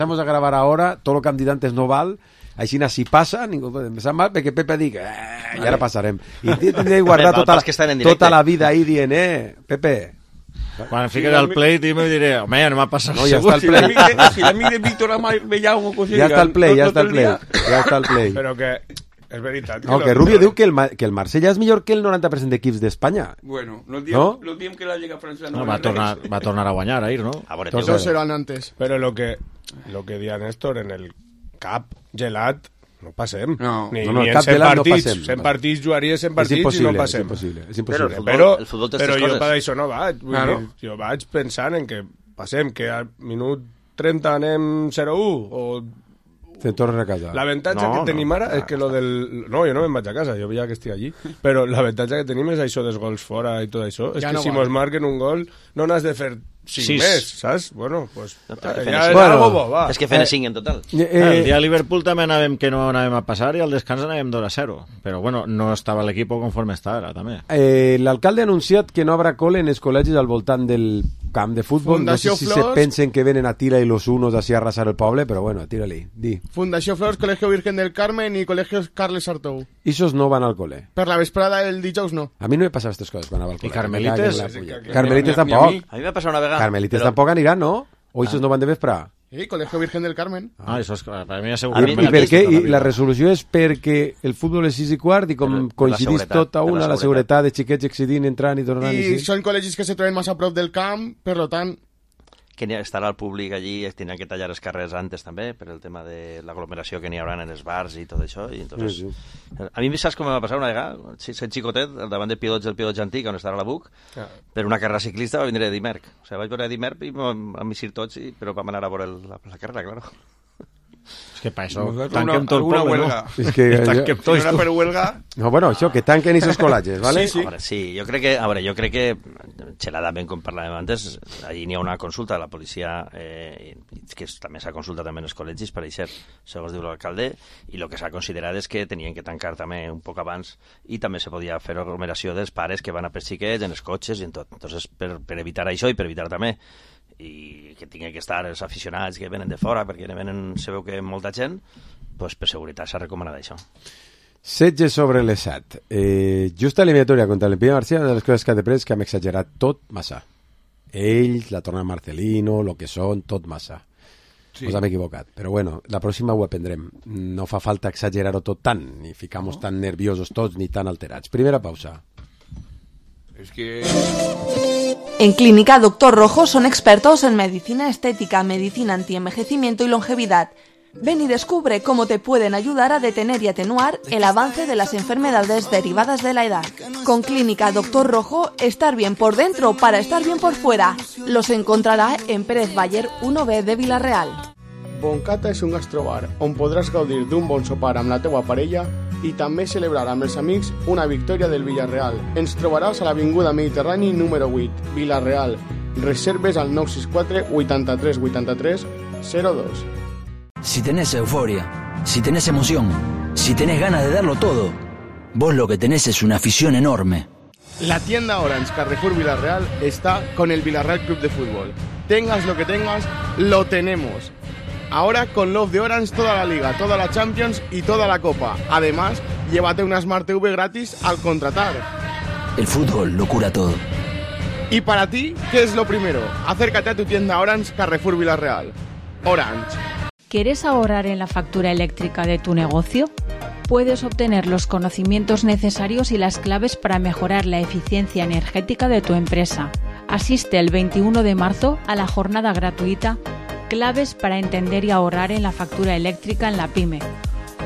Vamos a grabar ahora, todo lo que han dit antes no val, així si passa, ningú pot empezar mal, perquè Pepe digui, i ara passarem. I tindré que guardar tota la vida ahí dient, Pepe... Quan fiques el play, me diré, home, no m'ha passat no, ja està el play. Si l'amic de Víctor Amellao... Ja està el play, ja està el play. Però que... És veritat. No, que Rubio diu que el Marsella és millor que el 90% d'equips d'Espanya. Bueno, no diem que la Lliga Francesa no va tornar a guanyar ahir, ¿no? Todos eran antes. Pero lo que decía Néstor, en el Cap gelat no passem. No, ni el en Cap 100 gelat partits. No passem. 100 partits jugaria 100 partits i no passem. És impossible. Però el futbol té però aquestes jo coses. per això no vaig. Jo vaig pensant en que passem, que al minut 30 anem 0-1 o... Te tornes a casa. L'avantatge que tenim ara és que lo del... No, jo no me'n vaig a casa, jo veia que estic allí. Però l'avantatge que tenim és això dels gols fora i tot això. És que si mos marquen un gol no n'has de fer 5 més, saps? Bueno, pues... És que fent 5 en total. El dia de Liverpool també anàvem que no anàvem a passar i al descans anàvem 2-0. Però bueno, no estava l'equip conforme està ara, també. L'alcalde ha anunciat que no habrà col·le en els col·legis al voltant del camp de futbol. Fundació no sé si Flors. se pensen que venen a tira y los unos así a arrasar el poble, però bueno, tira-li, di. Fundació Flors, Colegio Virgen del Carmen i Colegio Carles Sartou. Isos no van al col·le. Per la vesprada el dijous no. A mi no me passava aquestes coses quan anava al col·le. I Carmelites? Carmelites tampoc. A mi m'ha passat una vegada. Carmelites tampoc aniran, no? O isos no van de vespre? Sí, Colegio Virgen del Carmen. Això és... Per mi ja segur. I per què? I la resolució és perquè el futbol és 6:15 i com coincidís tot a una, la seguretat de xiquets excedint, entrant i tornant. I són col·legis que se troben massa a prop del camp, per lo tant... Que estarà el públic allí, tindran que tallar els carrers antes també, per el tema de l'aglomeració que n'hi haurà en els bars i tot això. I entonces... A mi saps com em va passar una vegada? Sent xicotet, al davant de Pilots, el Pilots antic, on estarà la BUC, per una carrera ciclista va vindre Eddie Merck. O sigui, vaig veure Eddie Merck i vam eixir tots, però vam anar a veure la carrera, claro. És que per això tanquem tot el poble, no? És que no era per huelga... No, bueno, això, que tanquen esos col·latges, ¿vale? Sí. Sí, jo crec que xeladament, com parlàvem antes, allí n'hi ha una consulta de la policia, que també s'ha consultat també en els col·legis, per això, segons diu l'alcalde, i el que s'ha considerat és que tenien que tancar també un poc abans i també se podia fer aglomeració dels pares que van a per xiquets, en els cotxes i en tot. Entonces, per evitar això i per evitar també i que tingui que estar els aficionats que venen de fora, perquè venen, se veu que molta gent, doncs per seguretat s'ha recomanat això. Setge sobre les 7. Justa eliminatòria contra l'Empia Marcia, una de les coses que ha de pres que hem exagerat tot massa. Ells, la torna Marcelino, lo que són, tot massa. Sí. Ens hem equivocat. Però bueno, la pròxima ho aprendrem. No fa falta exagerar-ho tot tant, ni ficar-nos tan nerviosos tots, ni tan alterats. Primera pausa. És que... En Clínica Doctor Rojo son expertos en medicina estética, medicina antienvejecimiento y longevidad. Ven y descubre cómo te pueden ayudar a detener y atenuar el avance de las enfermedades derivadas de la edad. Con Clínica Doctor Rojo, estar bien por dentro para estar bien por fuera. Los encontrará en Pérez Baller 1B de Vila-real. Boncata és un gastrobar on podràs gaudir d'un bon sopar amb la teua parella i també celebrar amb els amics una victòria del Villarreal. Ens trobaràs a l'Avinguda Mediterrani número 8, Vila-real. Reserves al 964 83 83 02. Si tenés euforia, si tenés emoción, si tenés ganas de darlo todo, vos lo que tenés es una afición enorme. La tienda Orange Carrefour Villarreal está con el Villarreal Club de Fútbol. Tengas lo que tengas, lo tenemos. Ahora con Love de Orange toda la Liga, toda la Champions y toda la Copa. Además, llévate una Smart TV gratis al contratar. El fútbol lo cura todo. Y para ti, ¿qué es lo primero? Acércate a tu tienda Orange Carrefour Villarreal. Orange. ¿Quieres ahorrar en la factura eléctrica de tu negocio? Puedes obtener los conocimientos necesarios y las claves para mejorar la eficiencia energética de tu empresa. Asiste el 21 de marzo a la jornada gratuita Claves para entender y ahorrar en la factura eléctrica en la PYME,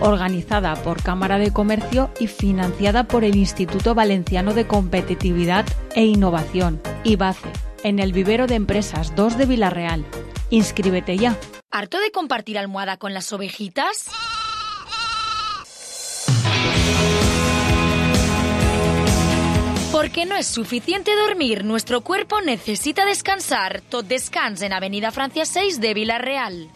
organizada por Cámara de Comercio y financiada por el Instituto Valenciano de Competitividad e Innovación, IVACE, en el Vivero de Empresas 2 de Vila-real. Inscríbete ya. ¿Harto de compartir almohada con las ovejitas? Porque no es suficiente dormir, nuestro cuerpo necesita descansar. Tot descans en Avenida Francia 6 de Vila-real.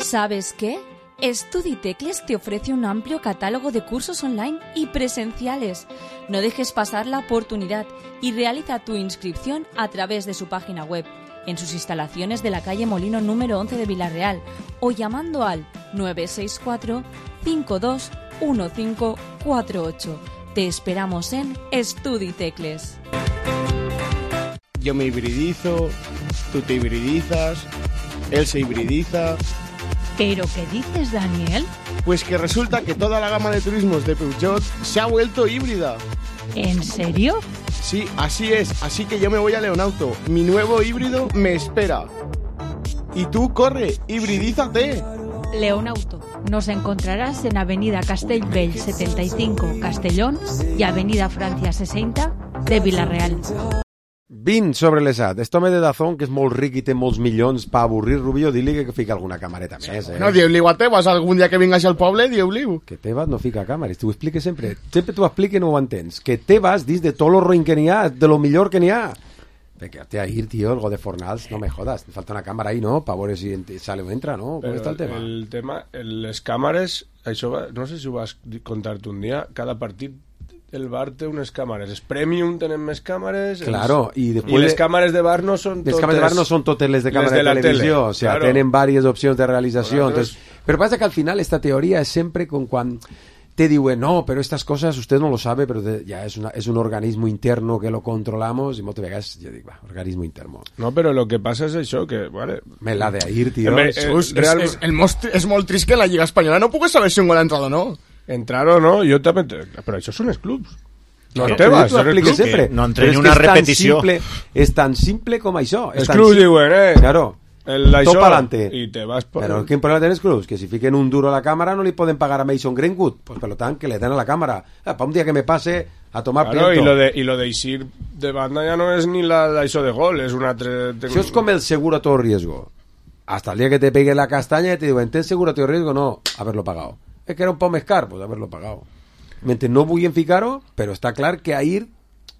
¿Sabes qué? Studitecles te ofrece un amplio catálogo de cursos online y presenciales. No dejes pasar la oportunidad y realiza tu inscripción a través de su página web en sus instalaciones de la calle Molino número 11 de Villarreal o llamando al 964-521548. Te esperamos en Estudi Tecles. Yo me hibridizo, tú te hibridizas, él se hibridiza. ¿Pero qué dices, Daniel? Pues que resulta que toda la gama de turismos de Peugeot se ha vuelto híbrida. ¿En serio? Sí, así es. Así que yo me voy a Leonauto. Mi nuevo híbrido me espera. Y tú, corre, hibridízate. Leonauto. Nos encontrarás en Avenida Castellbell 75, Castellón, y Avenida Francia 60 de Villarreal. 20 sobre l'ESAT. Esto me de Dazón, que és molt ric i té molts milions, per avorrir Rubio, di-li que fica alguna camareta més, No, dieu-li a Tebas, algun dia que vingues al poble, dieu-li. Que Tebas no fica càmeres, t'ho explique sempre. Sempre t'ho explique i no ho entens. Que Tebas, dis de tot lo ruïn que n'hi ha, de lo millor que n'hi ha. Quédate a ir, tío, algo de Fornals, no me jodas. Te falta una cámara ahí, ¿no? Para ver si sale o entra, ¿no? ¿Cómo está el tema? El tema, les càmeres, això va, no sé si ho vas contar-te un dia, cada partit el bar té unes càmeres. Els Premium tenen més càmeres. Claro, i les càmeres de bar no són totes. Les càmeres de bar no són totes les de càmera de televisió, o sea, tienen varias opciones de realización. Entonces, pero pasa que al final esta teoría es siempre con cuando te digo, no, pero estas cosas usted no lo sabe, pero ya es un organismo interno que lo controlamos y moltes vegades jo dic, va, organismo interno. No, però lo que passa és això, que, vale... Me la de ir, tío. És molt trist que en la Lliga Espanyola no pugues saber si un gol ha entrado o no. Entrar o no, jo també... Però això són els clubs. No te vas, sempre. No entre ni una repetició. És tan simple com això. Els clubs diuen, Claro. Tot pa'lante. I te vas por... Però quin problema tenen els clubs? Que si fiquen un duro a la càmera no li poden pagar a Mason Greenwood. Pues per tant, que le den a la càmera. Pa un dia que me pase a tomar piento. I lo de eixir de banda ja no és ni l'això de gol, és un altre... Això és com el seguro a todo riesgo. Hasta el día que te pegue la castaña y te digo, ¿tens seguro a todo riesgo? No, haberlo pagado. Es que era un poc més car, pues haberlo pagado. Mentre no vulguin ficar-ho, però està clar que ahir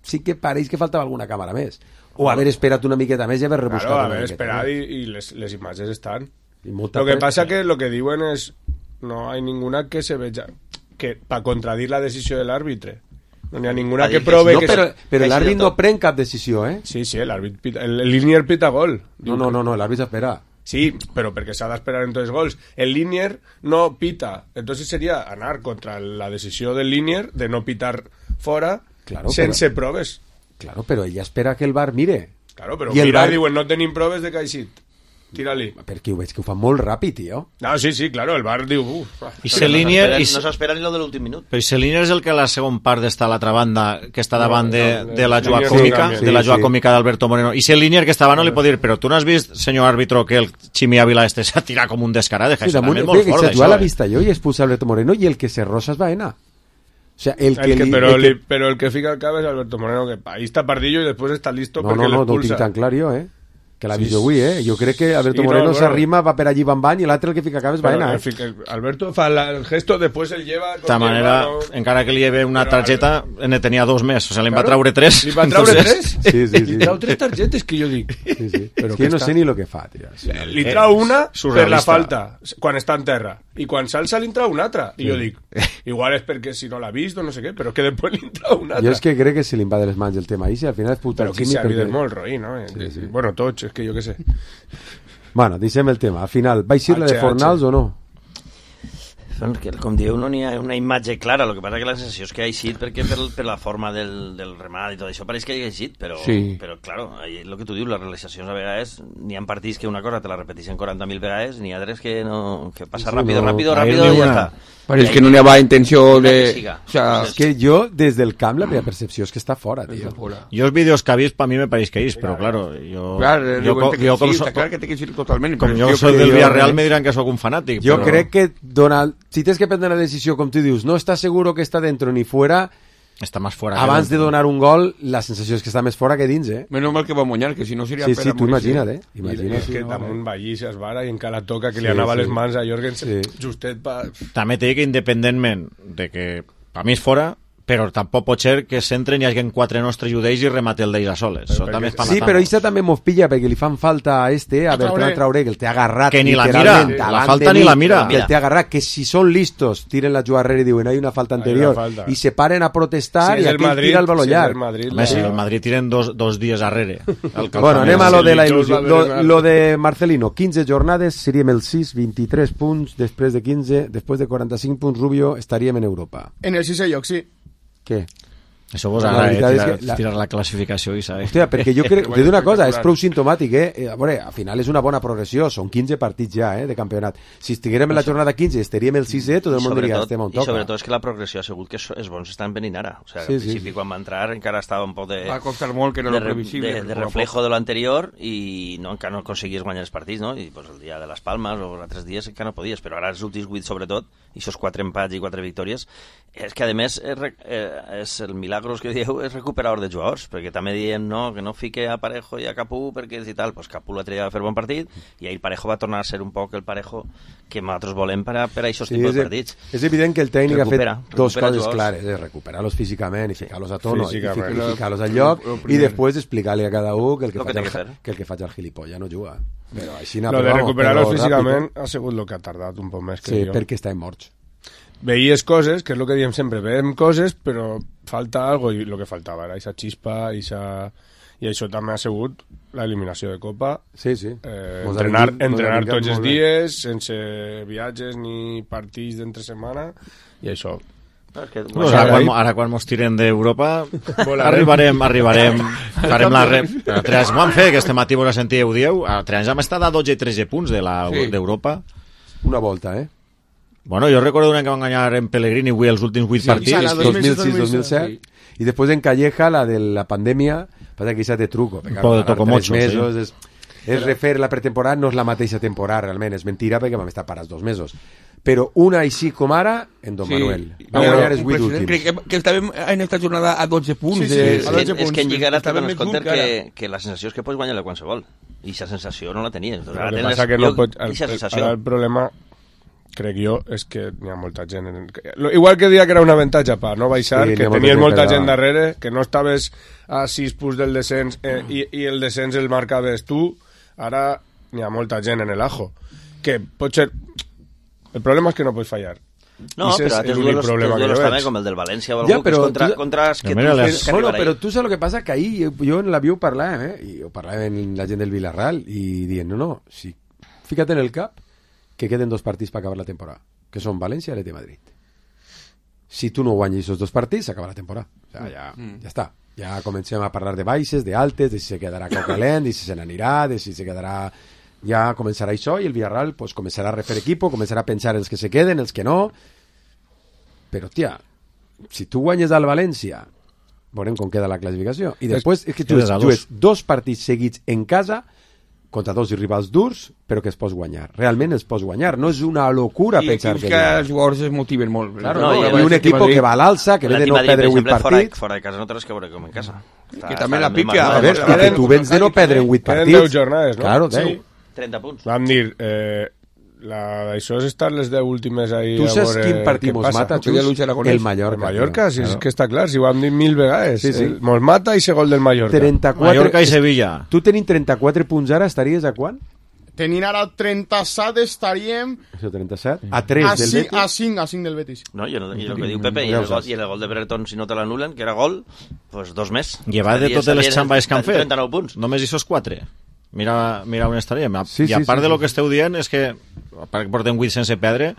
sí que pareix que faltava alguna càmera més. O haver esperat una miqueta més i haver rebuscat una miqueta. Haver esperat i les imatges estan. Lo que passa que lo que diuen és no hay ninguna que se veja que para contradir la decisió de l'àrbitre. No n'hi ha ninguna que prove que... Però l'àrbit no pren cap decisió, eh? Sí, l'àrbit el línier pita gol. No, l'àrbit espera. Sí, pero porque se ha de esperar entonces gols. El Linier no pita. Entonces sería anar contra la decisió del Linier de no pitar fora sense proves. Claro, però ella espera que el VAR mire. Claro, però mira, diuen, no tenim proves de que ha eixit. Tira-li. Perquè ho veig que ho fa molt ràpid, tio. No, sí, claro, el VAR diu... I no s'espera ni lo de l'últim minut. Però si Linier és el que a la segon part està a l'altra banda, que està davant de la jugada còmica, de la jugada còmica d'Alberto Moreno. I si el Linier que estava no li pot dir, però tu no has vist, senyor àrbitro, que el Chimi Ávila s'ha tirat com un descarat? Sí, molt fort, això. La vista jo i expulsa Alberto Moreno i el que se rosa és Baena. O sea, pero el que fica el cap és Alberto Moreno, que ahí está Pardillo y después está listo porque l'expulsa. No ho tinc tan clar jo, que l'ha vist avui, Jo crec que Alberto Moreno s'arrima, va per allí bany i l'altre el que fica cap és Baena, Alberto fa el gesto, después el lleva... De manera, encara que li lleve una targeta, ne tenia 2 més, o sea, li va traure 3. Li va traure 3? Sí. Li trau 3 targetes, que jo dic. Sí. És que no sé ni lo que fa, tio. Li trau una per la falta, quan està en terra, i quan s'alça li trau una altra. I jo dic, igual és perquè si no l'ha vist o no sé què, però que després li trau una altra. Jo és que crec que se li va de les mans el tema, i si al final és puta el Quimi... Però qui s'ha vist molt roí, no? Bueno, tots, és que jo què sé. Bueno, deixem el tema. Al final, va eixir la de Fornals o no? Com dieu, no n'hi ha una imatge clara. El que passa que la sensació és que ha eixit perquè per la forma del remat i tot això pareix que ha eixit, però claro, el que tu dius, les realitzacions a vegades n'hi ha partits que una cosa te la repeteixen 40.000 vegades, n'hi ha altres que passa ràpido i ja està. Pareix que no n'hi ha intenció de... O sea, és que jo, des del camp, la meva percepció és que està fora, tio. Jo els vídeos que he vist, per mi me pareix que és, però claro, jo soy del Villarreal me diran que sóc un fanàtic. Jo crec que si tens que prendre una decisió, com tu dius, no estàs seguro que està dentro ni fuera, està més fora. Abans de donar un gol, la sensació és que està més fora que dins, Menos mal que va Moñar, que si no seria... Sí, tu imagina't, És que damunt Vallís es vara i encara toca que li anava les mans a Jorgensen justet pa... També t'he dit que independentment de que per mi és fora, però tampoc pot ser que s'entren i hi hagi 4 nostres judeis i remate el d'ells a soles. Sí, però això també mos pilla perquè li fan falta a Bertran Traoré, que el té agarrat que ni la mira, la falta ni la mira, que el té agarrat, que si són listos tiren la jugada darrere i diuen hay una falta anterior i se paren a protestar i aquell tira el baló llarg. Si el Madrid tiren dos dies darrere. Bueno, anem a lo de la il·lusió. Lo de Marcelino, 15 jornades, seríem el 6, 23 punts, després de 15, després de 45 punts, Rubio, estaríem en Europa. En el 6è lloc, sí. Què? Això vos ara, tirar la classificació i saber. Hòstia, perquè jo crec, te dic una cosa, és prou sintomàtic, a veure, al final és una bona progressió, són 15 partits ja, de campionat. Si estiguérem en la jornada 15 estaríem el 6è, tot el món diria, estem on toca. I sobretot és que la progressió ha sigut que els bons estan venint ara. O sigui, al principi quan va entrar encara estava un poc de... Va costar molt, que era lo previsible. De reflejo de l'anterior i encara no aconseguies guanyar els partits, no? I el dia de les Palmes o els altres dies encara no podies, però ara els últims 8 sobretot, i aquests 4 empats i 4 victòries, és que a més és el milagros que dieu és recuperador de jugadors, perquè també diem que no fique a Parejo i a Capú perquè i tal, pues Capú l'altre dia va fer bon partit i ahir Parejo va tornar a ser un poc el Parejo que nosaltres volem per a aquests tipus de partits. És evident que el tècnic ha fet dos coses clares, recuperar-los físicament i ficar-los a tono i ficar-los al lloc i després explicar-li a cada un que el que faig al gilipollas no juga. Lo de recuperar-los físicament ha sigut el que ha tardat un poc més que jo. Sí, perquè estan morts. Veies coses, que és el que diem sempre, veiem coses, però falta algo, i el que faltava era aquesta xispa, i això també ha sigut l'eliminació de Copa. Sí. Entrenar tots els dies, sense viatges ni partits d'entre setmana, i això. Ara quan mos tiren d'Europa arribarem farem la rep. Però 3 anys vam fer, que este matí vos la sentíeu, dieu, a 3 anys hem estat a 12 i 13 punts d'Europa. Una volta, Bueno, jo recordo un any que van guanyar en Pellegrini els últims 8 partits. 2006-2007. Y después en Calleja, la de la pandemia, pasa que de truco. Un poc de tocomocho, sí. És refer la pretemporada, no és la mateixa temporada, realment. És mentira perquè vam estar parats 2 mesos. Però una així com ara, en Don Manuel. Va guanyar els 8 últims. Crec que estàvem en esta jornada a 12 punts. És que en Lliga ara te dones compte que la sensació és que pots guanyar-la qualsevol. I aquesta sensació no la tenies. Ara el problema... crec jo, és que n'hi ha molta gent igual que dia que era un avantatge per no baixar, que tenies molta gent darrere, que no estaves a 6 punts del descens i el descens el marcaves tu, ara n'hi ha molta gent en el ajo, que pot ser el problema és que no pots fallar. No, però altres duelos també, com el del València o algú que és contra que tu fes que bueno, però tu saps el que passa? Que ahir jo en l'avió parlàvem, i ho parlàvem amb la gent del Villarreal i dient, no, si fica't en el cap que queden 2 partits per acabar la temporada, que són València i l'Atlètic de Madrid. Si tu no guanyes aquests 2 partits, s'acaba la temporada. O sea, ja està. Ja comencem a parlar de baixes, d'altes, de si se quedarà Caucalent, de si se n'anirà, de si se quedarà... Ja començarà això i el Villarreal pues, començarà a refer equipo, començarà a pensar els que se queden, els que no. Però, tia, si tu guanyes al València, veurem com queda la classificació. I després és que tu jugues 2 partits seguits en casa contra 2 rivals durs, però que es pots guanyar. Realment es pots guanyar. No és una locura pensar que... I els jugadors es motiven molt. Claro, i un equip que va a l'alça, que ve de no perdre 8 partits. Fora de casa no tens que veure com en casa. Que també la pica. A veure, que tu vens de no perdre 8 partits. Eren 10 jornades, no? Claro, 10. 30 punts. Vam dir... Això és estar les 10 últimes ahí. Tu saps quin partit mos mata, Xus? El Mallorca. El Mallorca, sí, és que està clar, si ho hem dit 1000 vegades. Mos mata i gol del Mallorca. Mallorca i Sevilla. Tu tenint 34 punts ara, estaries a quant? Tenint ara 37 estaríem... Això, 37? A 3 del Betis? A 5 del Betis. No, i el que diu Pepe, i el gol de Brereton, si no te l'anulen, que era gol, pues 2 més. Llevat de totes les xambes que han fet. 39 punts. Només aquests 4. Mira on estaríem. I a part de lo que esteu dient és que, a part que portem 8 sense perdre,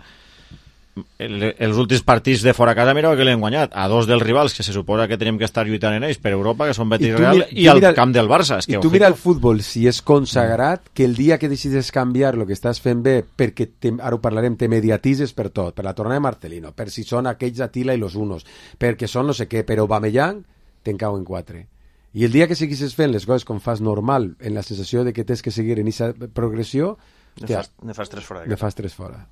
els últims partits de fora casa mira que l'hem guanyat a 2 dels rivals que se suposa que tenim que estar lluitant en ells per Europa, que són Betis Real i al camp del Barça. I tu mira el futbol, si és consagrat, que el dia que decides canviar el que estàs fent bé, perquè ara ho parlarem, te mediatises per tot, per la tornada de Marcelino, per si són aquells Atila i los unos, perquè són no sé què, però Aubameyang te'n cau en 4. I el dia que seguissis fent les coses com fas normal, en la sensació de que tens que seguir en aquesta progressió, ne fas 3 fora. Ne fas 3 fora.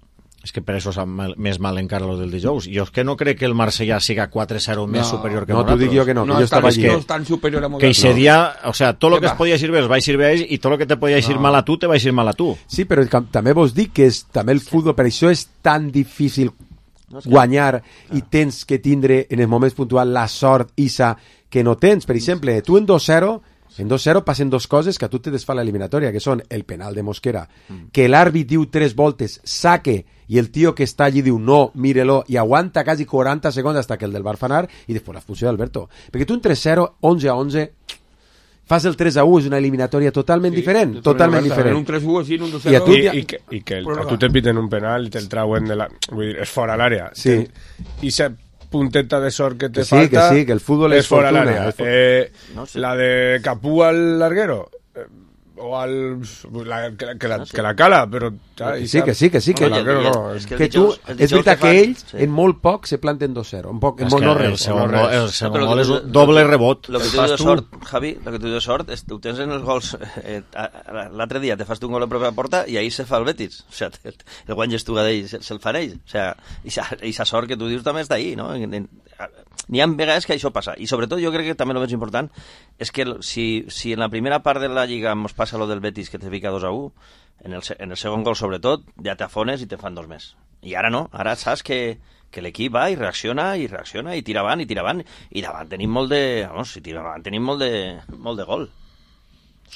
És que per això sap més mal encara lo del dijous. Jo és que no crec que el Marsella siga 4-0 més superior que nosaltres. No, t'ho dic jo que no, que jo estava allí. No és tan superior a nosaltres. Que ese dia, o sea, tot lo que es podia eixir bé els va eixir bé a ells i tot lo que te podia eixir mal a tu, te va eixir mal a tu. Sí, però també vos dic que també el futbol, per això és tan difícil guanyar i tens que tindre en els moments puntuals la sort Isa que no tens. Per exemple, tu en 2-0 passen dues coses que a tu te desfà l'eliminatòria, que són el penal de Mosquera, que l'àrbit diu 3 voltes, saque, i el tio que està allí diu no, mírelo, i aguanta quasi 40 segons hasta que el del Bar fa anar, i després l'expulsió d'Alberto. Perquè tu en 3-0, 11-11, fas el 3-1, és una eliminatòria totalment diferent, totalment diferent. Un 3-1 així, un 2-0... I que a tu te piten un penal i te'l trauen de la... Vull dir, és fora l'àrea. Sí. I se punteta de sort que te falta que que el fútbol és fora fortuna, l'àrea. La de Capú al larguero o al que la cala, però que sí, que no, que tu, és veritat que ells en molt poc se planten 2-0, en poc, no res. El segon gol és un doble rebot. Lo que tu dius de sort, Javi, lo que tu dius de sort, ho tens en els gols. L'altre dia te fas tu un gol a pròpia porta i ahir se fa el Betis. O sea, el guany Estugadell se'l fan ells. O sea, i sa sort que tu dius també està ahí, no? N'hi ha vegades que això passa. I sobretot jo crec que també el més important és que si en la primera part de la Lliga ens passa lo del Betis que te fica 2-1, en el segon gol sobretot ja t'afones i te fan 2 més. I ara no, ara saps que l'equip va i reacciona i tira avant i davant tenim molt de gol.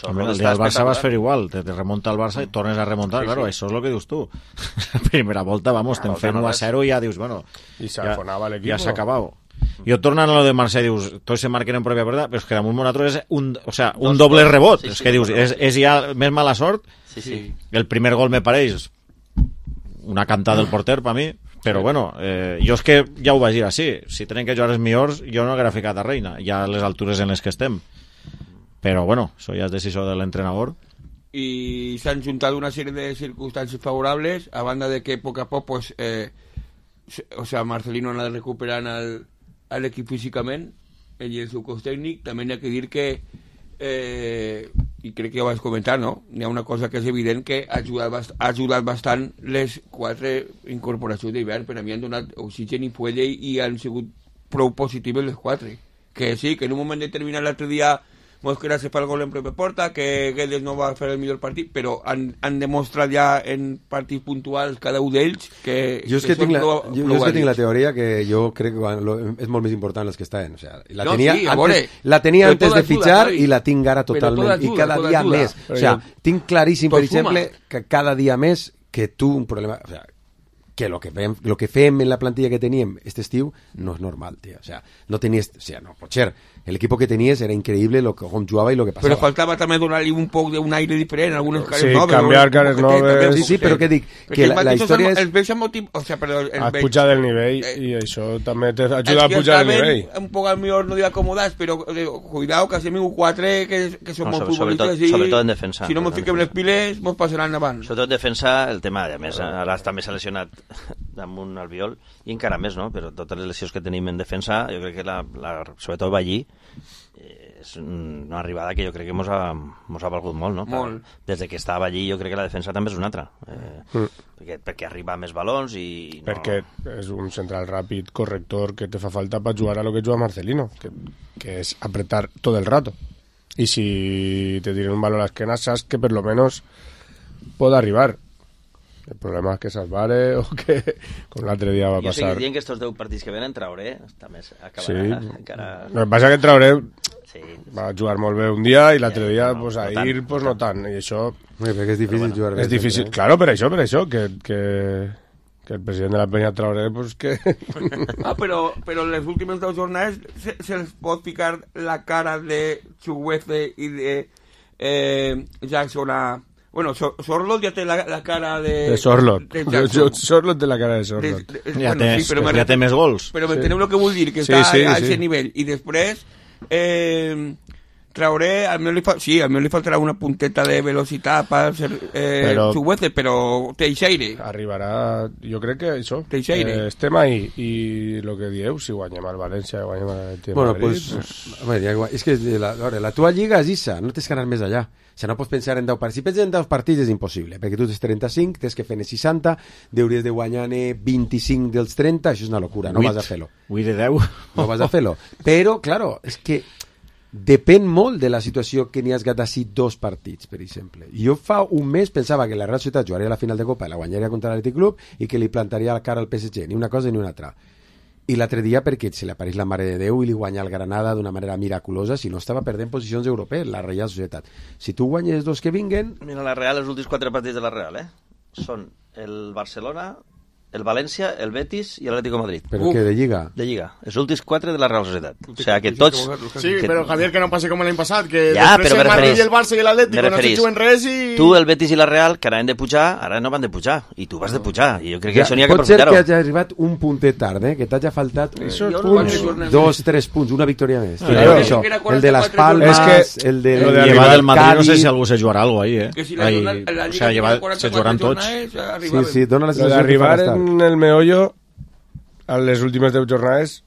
El dia del Barça vas fer igual, te remunta el Barça i tornes a remuntar, claro, això és el que dius tu. La primera volta, te'n fem 1-0 i ja dius, bueno, ja s'ha acabat. Jo tornant a lo de Marcel, dius, tots se marquen en pròpia porta, però és que damunt nosaltres és un doble rebot, és que dius, és ja més mala sort. El primer gol me pareix una cantada del porter per mi, però bueno, jo és que ja ho vaig dir així, si tenen que jugar els millors jo no haguera ficat a Reina, ja a les altures en les que estem, però bueno, això ja és decisió de l'entrenador. I s'han juntat una sèrie de circumstàncies favorables, a banda de que a poc a poc pues, Marcelino ha de recuperant a l'equip físicament, ell i el seu cos tècnic. També n'hi ha que dir que i crec que ja ho vaig comentar, no? N'hi ha una cosa que és evident, que ha ajudat bastant les 4 incorporacions d'hivern. Per a mi han donat oxigen i fuelle i han sigut prou positives les 4, que sí, que en un moment determinat l'altre dia Mosquera se fa el gol en pròpia porta, que Guedes no va fer el millor partit, però han demostrat ja en partits puntuals cada un d'ells que... Jo és que tinc la teoria que jo crec que és molt més important els que estan. O sea, la tenia antes de fitxar i la tinc ara totalment, i cada dia més. O sea, tinc claríssim, per exemple, que cada dia més que tu un problema... O sea, que lo que fem en la plantilla que teníem este estiu no és normal, tío. O sea, no tenies... O sea, no, pot ser. El equipo que tenies era increïble com jugava i lo que passava. Però faltava també donar-li un poc d'un aire diferent, algunes cares noves. Sí, canviar cares noves. Sí, però què dic? Que la història és... Els veig amb motiu... O sea, perdó... Has pujat el nivell i això també t'ajuda a pujar el nivell. Un poc al millor no dic acomodats, però cuidao, que hacem 4 que són molt futbolistes i... Sobretot en defensa. Si no mos fiquem les piles, mos passaran avant. Sobretot en defensa, el tema, a més, ara també s'ha lesionat damunt Albiol, i encara més, no? Però totes les lesions que tenim en defensa, jo crec que sobretot Ballí, és una arribada que jo crec que mos ha valgut molt, no? Molt. Des de que estava allí jo crec que la defensa també és una altra, perquè arriba més balons i... Perquè és un central ràpid, corrector, que te fa falta per jugar a lo que juga Marcelino, que és apretar tot el rato. I si te tiren un balón a l'esquena, saps que per lo menos pot arribar. El problema és que s'esbare o que, com l'altre dia va passar... Jo estic dient que estos 10 partits que venen Traoré també acabarà encara... El que passa que Traoré va jugar molt bé un dia i l'altre dia, pues, ahir, pues, no tant. I això... Perquè és difícil jugar bé. És difícil, claro, per això, que el president de la Peña Traoré, pues, que... però les últimes 2 jornades se'ls pot ficar la cara de Chuguece i de Jackson a... Bueno, Sorlot ja té la cara de Sorlot. Sorlot té la cara de Sorlot. Ja té més gols. Però m'enteneu el que vull dir, que està a aquest nivell. I després, Traoré, al meu li faltarà una punteta de velocitat per ser Chuguece, però Teixeira. Arribarà, jo crec que això. Teixeira. Estem ahí, i el que dieu, si guanyem al València, guanyem al Madrid... Bueno, pues, és que la tua lliga és Issa, no tens que anar més allà. O sigui, no pots pensar en 10 partits. Si penses en 10 partits és impossible, perquè tu tens 35, tens que fer 60, hauries de guanyar 25 dels 30, això és una locura, no vas a fer-lo. Vull de 10. No vas a fer-lo. Però, claro, és que depèn molt de la situació que n'hi has gat així 2 partits, per exemple. Jo fa un mes pensava que la Real Societat jugaria la final de Copa i la guanyaria contra l'Atlètic Club i que li plantaria la cara al PSG, ni una cosa ni una altra. I l'altre dia perquè se li apareix la Mare de Déu i li guanya el Granada d'una manera miraculosa, si no estava perdent posicions europees, la Real Societat. Si tu guanyes 2 que vinguen... Mira, la Real, els últims 4 partits de la Real, són el Barcelona, el València, el Betis i l'Atlético de Madrid. ¿Pero qué, de Lliga? De Lliga. Els últims 4 de la Real Societat. O sea, que tots... Sí, però Javier, que no passi com l'any passat, que ja, després el Madrid i el Barça i l'Atlético no se juguen res i... Tu, el Betis i la Real, que anaven de pujar, ara no van de pujar. I tu vas de pujar. I jo crec que això n'hi ha que Pot aprofitar-ho. ser que hagi arribat un puntet tard, que t'hagi faltat 2-3 punts, una victòria més. Això, el de les Palmes, el de... Llevar del Madrid, no sé si algú se jugarà algo ahí, Que si la Lliga se jugaran tots. Sí, dona la sensació d'arribar en el meollo a les últimes 10 jornades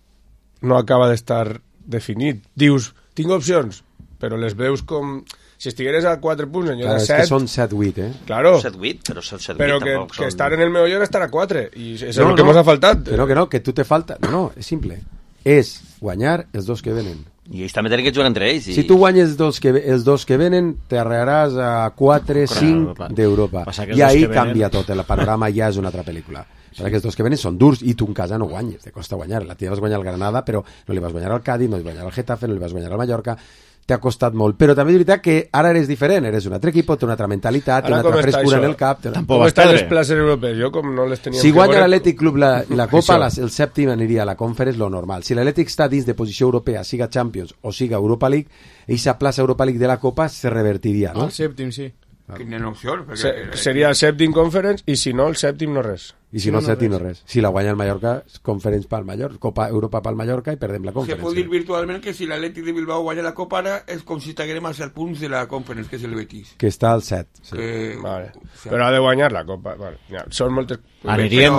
no acaba d'estar definit. Dius, tinc opcions, però les veus com... Si estigueres a 4 punts, en lloc de 7... És que són 7-8, Claro. 7-8, però que estar en el meollo era estar a 4, i és el que ens ha faltat. Que no, que tu te falta... No, és simple. És guanyar els 2 que venen. I ells també tenen que jugar entre ells. Si tu guanyes els 2 que venen, t'arregaràs a 4-5 d'Europa. I ahí canvia tot, el panorama ja és una altra pel·lícula. Perquè els 2 que venen són durs i tu en casa no guanyes, te costa guanyar. La tia vas guanyar al Granada, però no li vas guanyar al Cádiz, no li vas guanyar al Getafe, no li vas guanyar al Mallorca. T'ha costat molt, però també és veritat que ara eres diferent, eres un altre equip, té una altra mentalitat, té una altra frescura en el cap. Com estan les places europees? Jo com no les tenia... Si guanya l'Atlètic Club la Copa, el sèptim aniria a la Conference, lo normal. Si l'Atlètic està dins de posició europea, siga Champions o siga Europa League, eixa plaça Europa League de la Copa se revertiria, no? El sèptim, sí. Quina opció? Seria el sèptim Conference i si no, el sèptim no res. I si no el sèptim no res. Si la guanya el Mallorca, Conference pel Mallorca, Copa Europa pel Mallorca i perdem la Conference. Se pot dir virtualment que si l'Atlètic de Bilbao guanya la Copa ara és com si estiguem a 7 punts de la Conference, que és el Betis. Que està al 7. Sí. Vale. Però ha de guanyar la Copa. Vale. Ja, són moltes... Anirien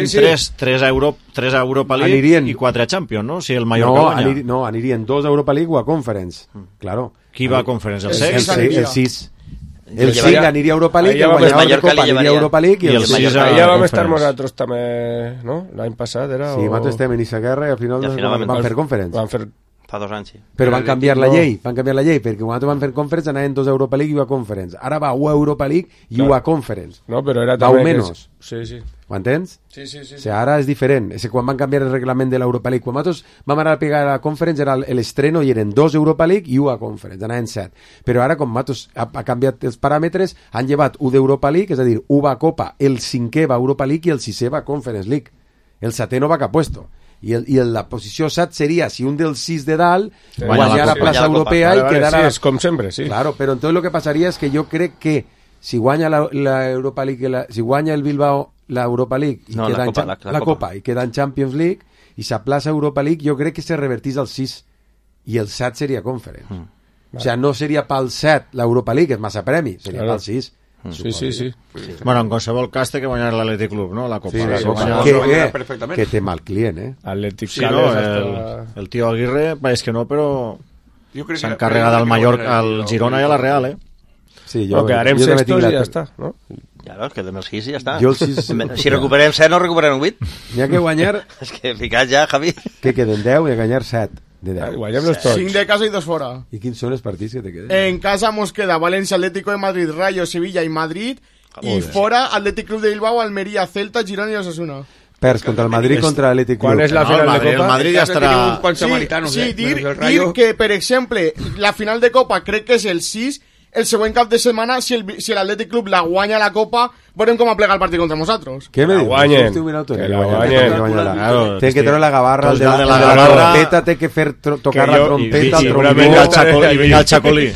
3 a Europa League i 4 a Champions, no? Si el Mallorca guanya. No, anirien 2 a Europa League o a Conference. Claro. Qui va a Conference? El 6? El 6. El 5 aniria a Europa League, el guanyava la Copa aniria a Europa League i el 6 allà vam estar nosaltres també, no? L'any passat era... Sí, nosaltres estem en aquesta guerra i al final van fer Conference. Van fer... Fa 2 anys, sí. Però van canviar la llei, perquè quan van fer Conference anaven 2 a Europa League i 1 a Conference. Ara va 1 a Europa League i 1 a Conference. No, però era també... Va menys. Sí. Ho entens? Sí. O sigui, ara és diferent. Quan van canviar el reglament de l'Europa League, quan nosaltres vam anar a pegar a la Conference era l'estreno i eren 2 Europa League i 1 a Conference, anaven 7. Però ara, com nosaltres ha canviat els paràmetres, han llevat 1 d'Europa League, és a dir, 1 va a Copa, el 5è va a Europa League i el 6è va a Conference League. El 7è no va cap puesto. I la posició 7 seria si un dels 6 de dalt guanyar la plaça europea i quedara... Sí, és com sempre, sí. Claro, però entonces lo que passaria és que jo crec que si guanya la Europa League, si guanya el Bilbao la Europa League i queda la Copa i queda en Champions League i s'aplaça Europa League, jo crec que se revertís al 6 i el 7 seria Conference. O sigui, no seria pel 7 l'Europa League, és massa premi, seria pel 6. Sí. Bueno, en qualsevol cas té que guanyar l'Atlètic Club, no? La Copa. Que té mal client, Atlètic sí, no, el tio Aguirre pareix que no, però s'ha encarregat al Mallorca, al Girona i a la Real, Sí, jo quedarem sextos i ja està, no? Ja, quedem els 6 i ja està. Si recuperem 7 no recuperem 8. N'hi ha que guanyar... És que ficat ja, Javi. Que queden 10 i guanyar 7. Guanyem-los tots. 5 de casa i 2 fora. I quins són els partits que te queden? En casa mos queda València, Atlético de Madrid, Rayo, Sevilla i Madrid. I fora Atlètic Club de Bilbao, Almería, Celta, Girona i Osasuna. Perds contra el Madrid, contra l'Atlètic Club. Quan és la final de Copa? El Madrid ja estarà... Sí, dir que, per exemple, la final de Copa crec que és el 6, el següent cap de setmana, si l'Atlètic Club la guanya la Copa, veurem com aplega el partit contra nosaltres. Què me dius? Que la guanyen. Té que treure la gavarra, el de la trompeta, té que fer tocar la trompeta al trombó. I vinga el Chacolí.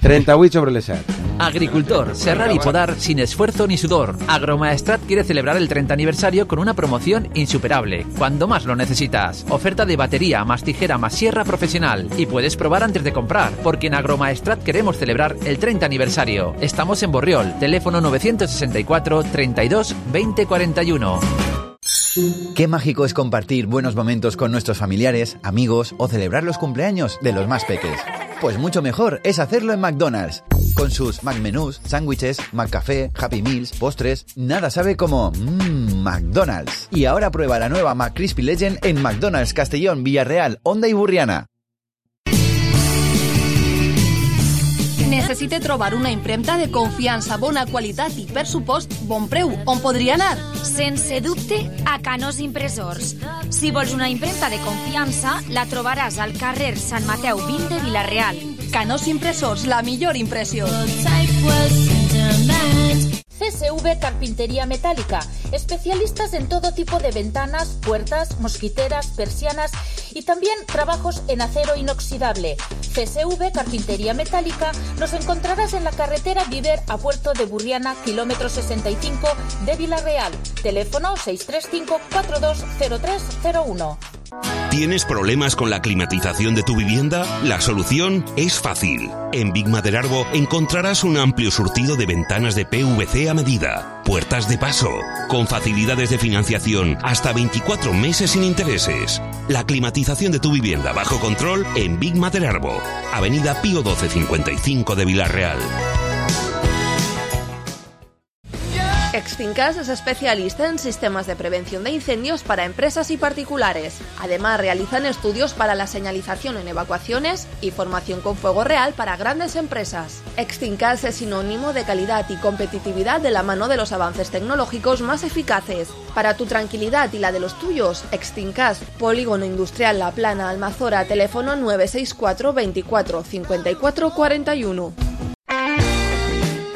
38 sobre el 7. Agricultor, serrar y podar sin esfuerzo ni sudor. Agromaestrat quiere celebrar el 30 aniversario con una promoción insuperable, cuando más lo necesitas. Oferta de batería más tijera más sierra profesional. Y puedes probar antes de comprar, porque en Agromaestrat queremos celebrar el 30 aniversario. Estamos en Borriol, teléfono 964 32 20 41. Qué mágico es compartir buenos momentos con nuestros familiares, amigos o celebrar los cumpleaños de los más peques. Pues mucho mejor es hacerlo en McDonald's. Con sus McMenús, sándwiches, McCafé, Happy Meals, postres, nada sabe como McDonald's. Y ahora prueba la nueva McCrispy Legend en McDonald's Castellón, Villarreal, Honda y Burriana. Necessite trobar una impremta de confiança, bona qualitat i, per supost, bon preu. On podria anar? Sense dubte, a Canós Impressors. Si vols una impremta de confiança, la trobaràs al carrer Sant Mateu 20 de Vila-real. Canós Impressors, la millor impressió. CSV Carpintería Metálica, especialistas en todo tipo de ventanas, puertas, mosquiteras, persianas y también trabajos en acero inoxidable. CSV Carpintería Metálica nos encontrarás en la carretera Viver a Puerto de Burriana, kilómetro 65 de Vila-real. Teléfono 635-420301. ¿Tienes problemas con la climatización de tu vivienda? La solución es fácil. En Big Maderarbo encontrarás un amplio surtido de ventanas de PVC a medida, puertas de paso, con facilidades de financiación hasta 24 meses sin intereses. La climatización de tu vivienda bajo control en Big Maderarbo, Avenida Pío 1255 de Vila-real. Extincas es especialista en sistemas de prevención de incendios para empresas y particulares. Además, realizan estudios para la señalización en evacuaciones y formación con fuego real para grandes empresas. Extincas es sinónimo de calidad y competitividad de la mano de los avances tecnológicos más eficaces. Para tu tranquilidad y la de los tuyos, Extincas, Polígono Industrial La Plana, Almazora, teléfono 964 24 54 41.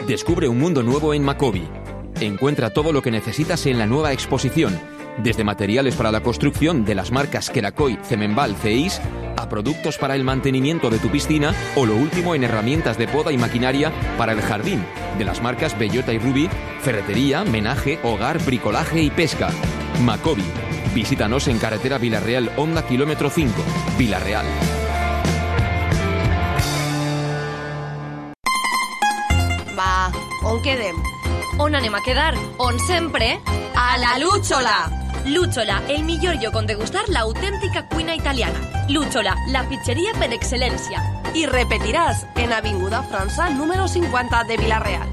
Descubre un mundo nuevo en Macobi. Encuentra todo lo que necesitas en la nueva exposición, desde materiales para la construcción de las marcas Kerakoy, Cemenbal, Ceis, a productos para el mantenimiento de tu piscina o lo último en herramientas de poda y maquinaria para el jardín, de las marcas Bellota y Ruby, ferretería, menaje, hogar, bricolaje y pesca. Macobi. Visítanos en carretera Vila-real, Honda, kilómetro 5, Vila-real. Va, on quedem? On anem a quedar? On sempre? A la Lúchola! Lúchola, el millor lloc on degustar l'autèntica cuina italiana. Lúchola, la pizzeria per excel·lència. I repetiràs en Avinguda França, número 50 de Vila-real.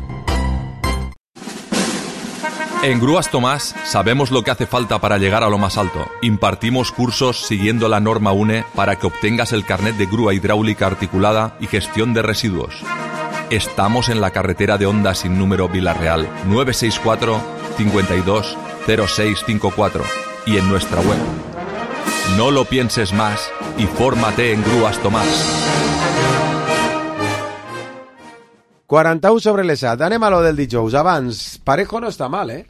En Grúas Tomás sabemos lo que hace falta para llegar a lo más alto. Impartimos cursos siguiendo la norma UNE para que obtengas el carnet de grúa hidráulica articulada y gestión de residuos. Estamos en la carretera de Honda sin número Vila-real, 964 52 0654 y en nuestra web. No lo pienses más y fórmate en Grúas Tomás. 41 sobre l'ESAT. Anem a lo del dijous. Abans, Parejo no està mal, eh?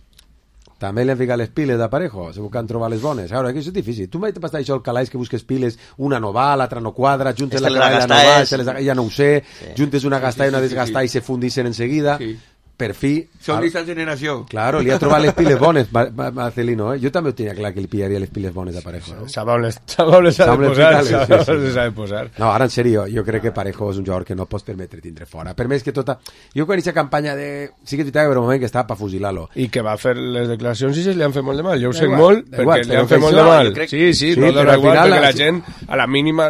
També li han ficat les piles de Parejo, segur que han trobat les bones. Ara, que és difícil. Tu m'has passat això al calaix que busques piles, una no va, l'altra no quadra, juntes la clavalla no va, ja no ho sé, juntes una gastada i una desgastada i se fundixen enseguida. Sí. Per fi... Són d'esta generació. Claro, li ha trobat les piles bones, Marcelino, eh? Jo també ho tenia clar que li pillaria les piles bones a Parejo, no? Sap on les ha de posar. No, ara en sèrio, jo crec que Parejo és un jugador que no pots permetre tindre fora. Per més que tota... Jo quan aquesta campanya de... Sí que t'hi un moment que estava per fusilar-lo. I que va fer les declaracions i se li han fet molt de mal. Jo ho sé molt, perquè li han fet molt de mal. Sí, no dona igual, perquè la gent, a la mínima...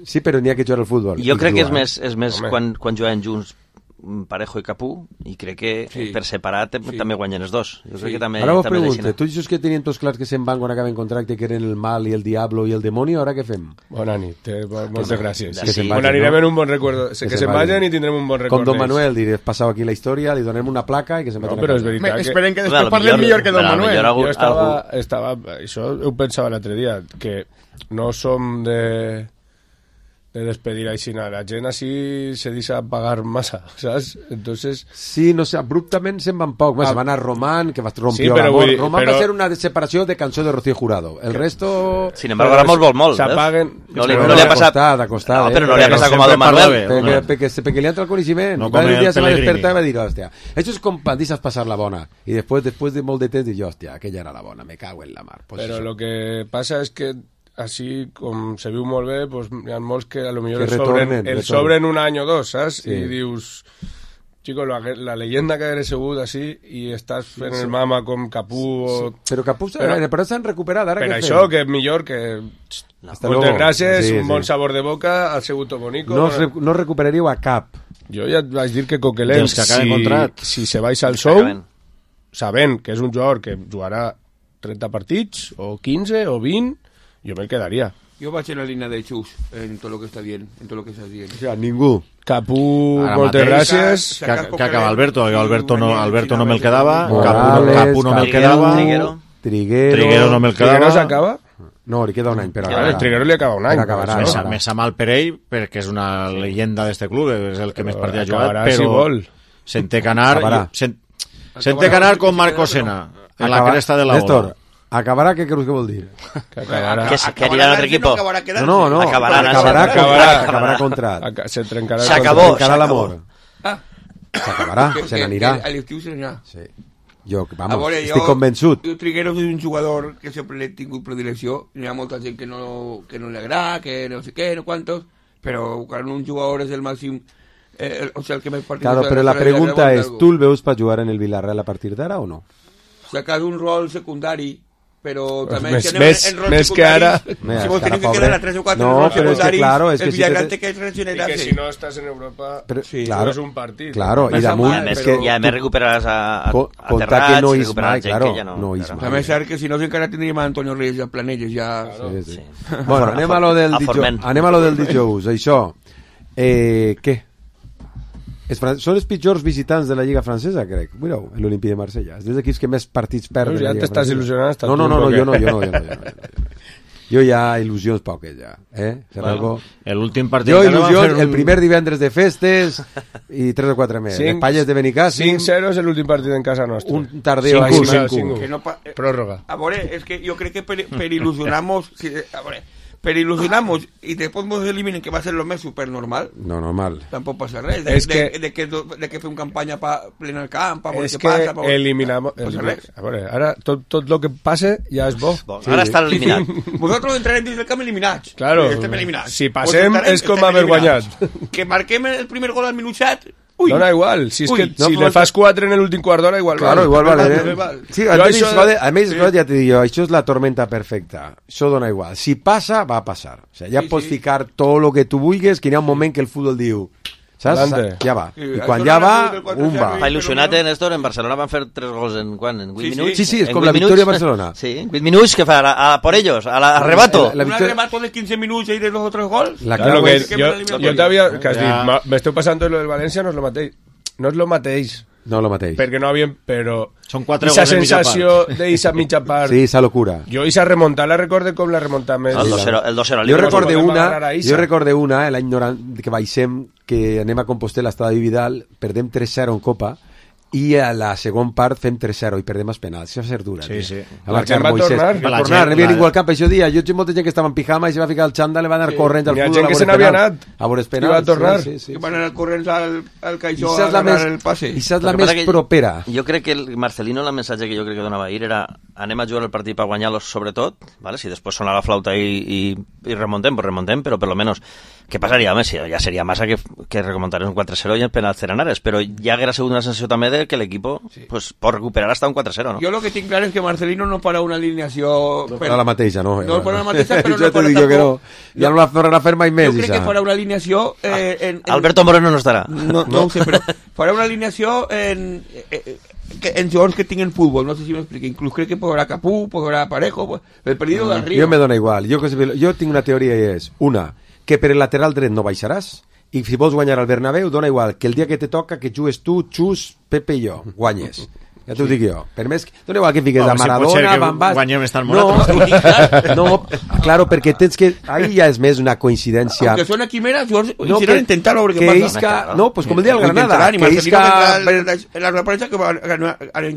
Sí, però n'hi ha que jugar al futbol. Jo crec que és més quan juguen junts Parejo i Capú, i crec que per separat també guanyen els dos. Jo crec que també, ara vos pregunto, tu dius que tenien tots clars que se'n van quan acaben contracte, que eren el mal i el diablo i el demonio, ara què fem? Bona nit, moltes gràcies. On anirem en un bon recuerdo, que se'n vagin i tindrem un bon record. Com Don Manuel, diré, passau aquí la història, li donem una placa i que se'n vagin a casa. Però és veritat que... Esperen que després parlem millor que Don Manuel. Jo estava... Això ho pensava l'altre dia, que no som de despedir així nada. La gent així se deixa pagar massa, ¿sabes? Entonces... Sí, no sé, abruptament se'n van poc. Se van a Román, que rompió l'amor. Román va ser una separació de cançó de Rocío Jurado. El resto... Sin embargo, Ramos vol molt. S'apaguen... No li ha passat... Acostada, però no li ha passat com a Don Manuel. Perquè li entra el coneixement. No, un dia se va despertar i va dir, hòstia, això és com quan deixes passar la bona. I després de molt de temps dius, hòstia, aquella era la bona, me cago en la mar. Però lo que passa és que així com se viu molt bé, pues, hi ha molts que a lo millor sobren un any o dos, saps? Sí. I dius, chico, la leyenda que eres segut així i estàs fent el mama com Capú o... Però Capú però s'han recuperat ara. Per això que és millor que moltes gràcies, un bon sabor de boca, ha sigut tot bonico. No recuperaríeu a cap. Jo ja vaig dir que Coquelin, si se vais al show, sabent que és un jugador que jugarà 30 partits o 15 o 20, yo me quedaría. Yo voy en la línea de Chus en todo lo que está bien, en todo lo que estás bien. O sea, ningú. Capú, moltes gràcies. Que acaba Alberto. Jo Alberto no me'l quedava. Morales, Capú no me'l quedava. Triguero no me'l quedava. Triguero s'acaba? No, li queda un any, però el Triguero li acaba un any. Me sap mal per ell, perquè és una leyenda d'este club, és el que més partida ha jugat, però se'n té que anar com Marco Sena, en la cresta de la ola. ¿Acabará? ¿Qué crees que vol dir? Que anirà a l'altre equipo. No. Acabará contrat. Se trencarà l'amor. S'acabarà, se n'anirà. A l'estiu se n'anirà. Sí. Jo, estic convençut. Triguero és un jugador que sempre l'he tingut predilecció. Hi ha molta gent que no li agrada, que no sé què, no quantos, però quan un jugador és el màxim, o sigui, el que més partits... Claro, però la pregunta és, tu el veus per jugar en el Villarreal a partir d'ara o no? Sacar un rol secundari, però també... Més que ara... Si vos tenim que quedar a 3 o 4 rols secundaris, el Villarreal té que regenerar-se. I que si no estàs en Europa, no és un partit. Claro, i damunt... I a més recuperaràs a Terrats, recuperaràs gent que ja no... També és cert que si no encara tindríem a Antonio Reyes a Planelles, ja... Bueno, anem a lo del dijous, això. Què? Són els pitjors visitants de la Lliga Francesa, crec. Mireu, l'Olympique de Marsella. És dels equips que més partits perden. Ja t'estàs il·lusionant. No, jo no. Jo ja il·lusions poques, ja. L'últim partit... Jo il·lusions el primer divendres de festes i 3 o 4 més. Espanyes de Benicàssim. 5-0 és l'últim partit en casa nostra. Un tardeo. 5-1. Pròrroga. A veure, és que jo crec que per il·lusionar-nos... A veure... Pero ilusionamos y después nos eliminen, que va a ser lo más super normal. No, normal. Tampoco pasa res. De que fue una campaña para plenar el campo, es que pasa, eliminamos... A veure, ara tot lo que passe ja és bo. Ara està eliminat. Vosaltres entrarem dins del camp eliminats. Claro, si passem és com haver guanyat. Que marquem el primer gol al minut 7... Dona igual, si le fas 4 en l'últim quart d'hora, igual claro, igual vale. Sí, a més, ja t'he dit jo, això és la tormenta perfecta, això dona igual, si passa, va a passar, o sigui, ja pots ficar tot el que tu vulguis, que hi ha un moment que el futbol diu, saps? Ja va, i quan ja va, un va. Fa il·lusionat, Néstor, en Barcelona van fer 3 gols en 8 minuts? Sí, és com la victòria de Barcelona. Sí, en 8 minuts, que fa? A por ellos, a l'arrebato. Un arrebato de 15 minuts i de los otros gols? Claro, jo t'havia... Que has dit, m'esteu passant tot lo del València, no és lo mateix. No és lo mateix. No lo mateix. Perquè no havien... Però... Són 4 gols en mitja part. Esa sensació d'eixa mitja part... Sí, esa locura. Jo eixa remuntada la recorde com la remuntada més... El 2-0. Jo recorde una, l'any 90, que baixem, que anem a Compostela, estada de Vidal, perdem 3-0 en Copa, i a la segon part fem 3-0 i perdem els penals. Això va ser dura. Sí. Va tornar, no havia ningú al camp. Això dia, jo tinc molta gent que estava en pijama i se va ficar el xandall, va anar corrents al futbol. Hi ha gent que se n'havia anat. A veure els penals. I va tornar. I van anar corrents al caixó a agarrar el passe. I saps la més propera. Jo crec que el Marcelino, el missatge que jo crec que donava ahir era anem a jugar el partit per guanyar-los sobretot, ¿vale? Si després sona la flauta i remontem, pues remontem, però per lo menos què passaria? Home, ja seria massa que remuntarem un 4-0 i en penals Cerenares, però ja haguera sigut una sensació també de que l'equip pues, pot recuperar hasta un 4-0, ¿no? Jo lo que tinc clar és que Marcelino no farà una alineació... No farà la mateixa, no? No farà la mateixa, però no farà tampoc... Ja no la farà fer mai més, jo crec que farà una alineació... Alberto Moreno no estarà. No ho sé, però farà una alineació en jugadors que tinguen futbol, no sé si m'explico. Inclús crec que podrà Capú, podrà Parejo, el perdido del Río. Jo me dona igual. Jo tinc una teoria i és, una, que per el lateral dret no baixaràs, i si vols guanyar al Bernabéu, dona igual que el dia que te toca que jugues tu, Xus, Pepe i jo, guanyes. Ja t'ho dic jo. Per més, dona igual que fiques a Maradona, Van Basten... Guanyem estar morat. No, claro, perquè tens que... Ahí ja és més una coincidència... Aunque suena quimera, hicieron intentar veure què passa. No, pues com el dia del Granada.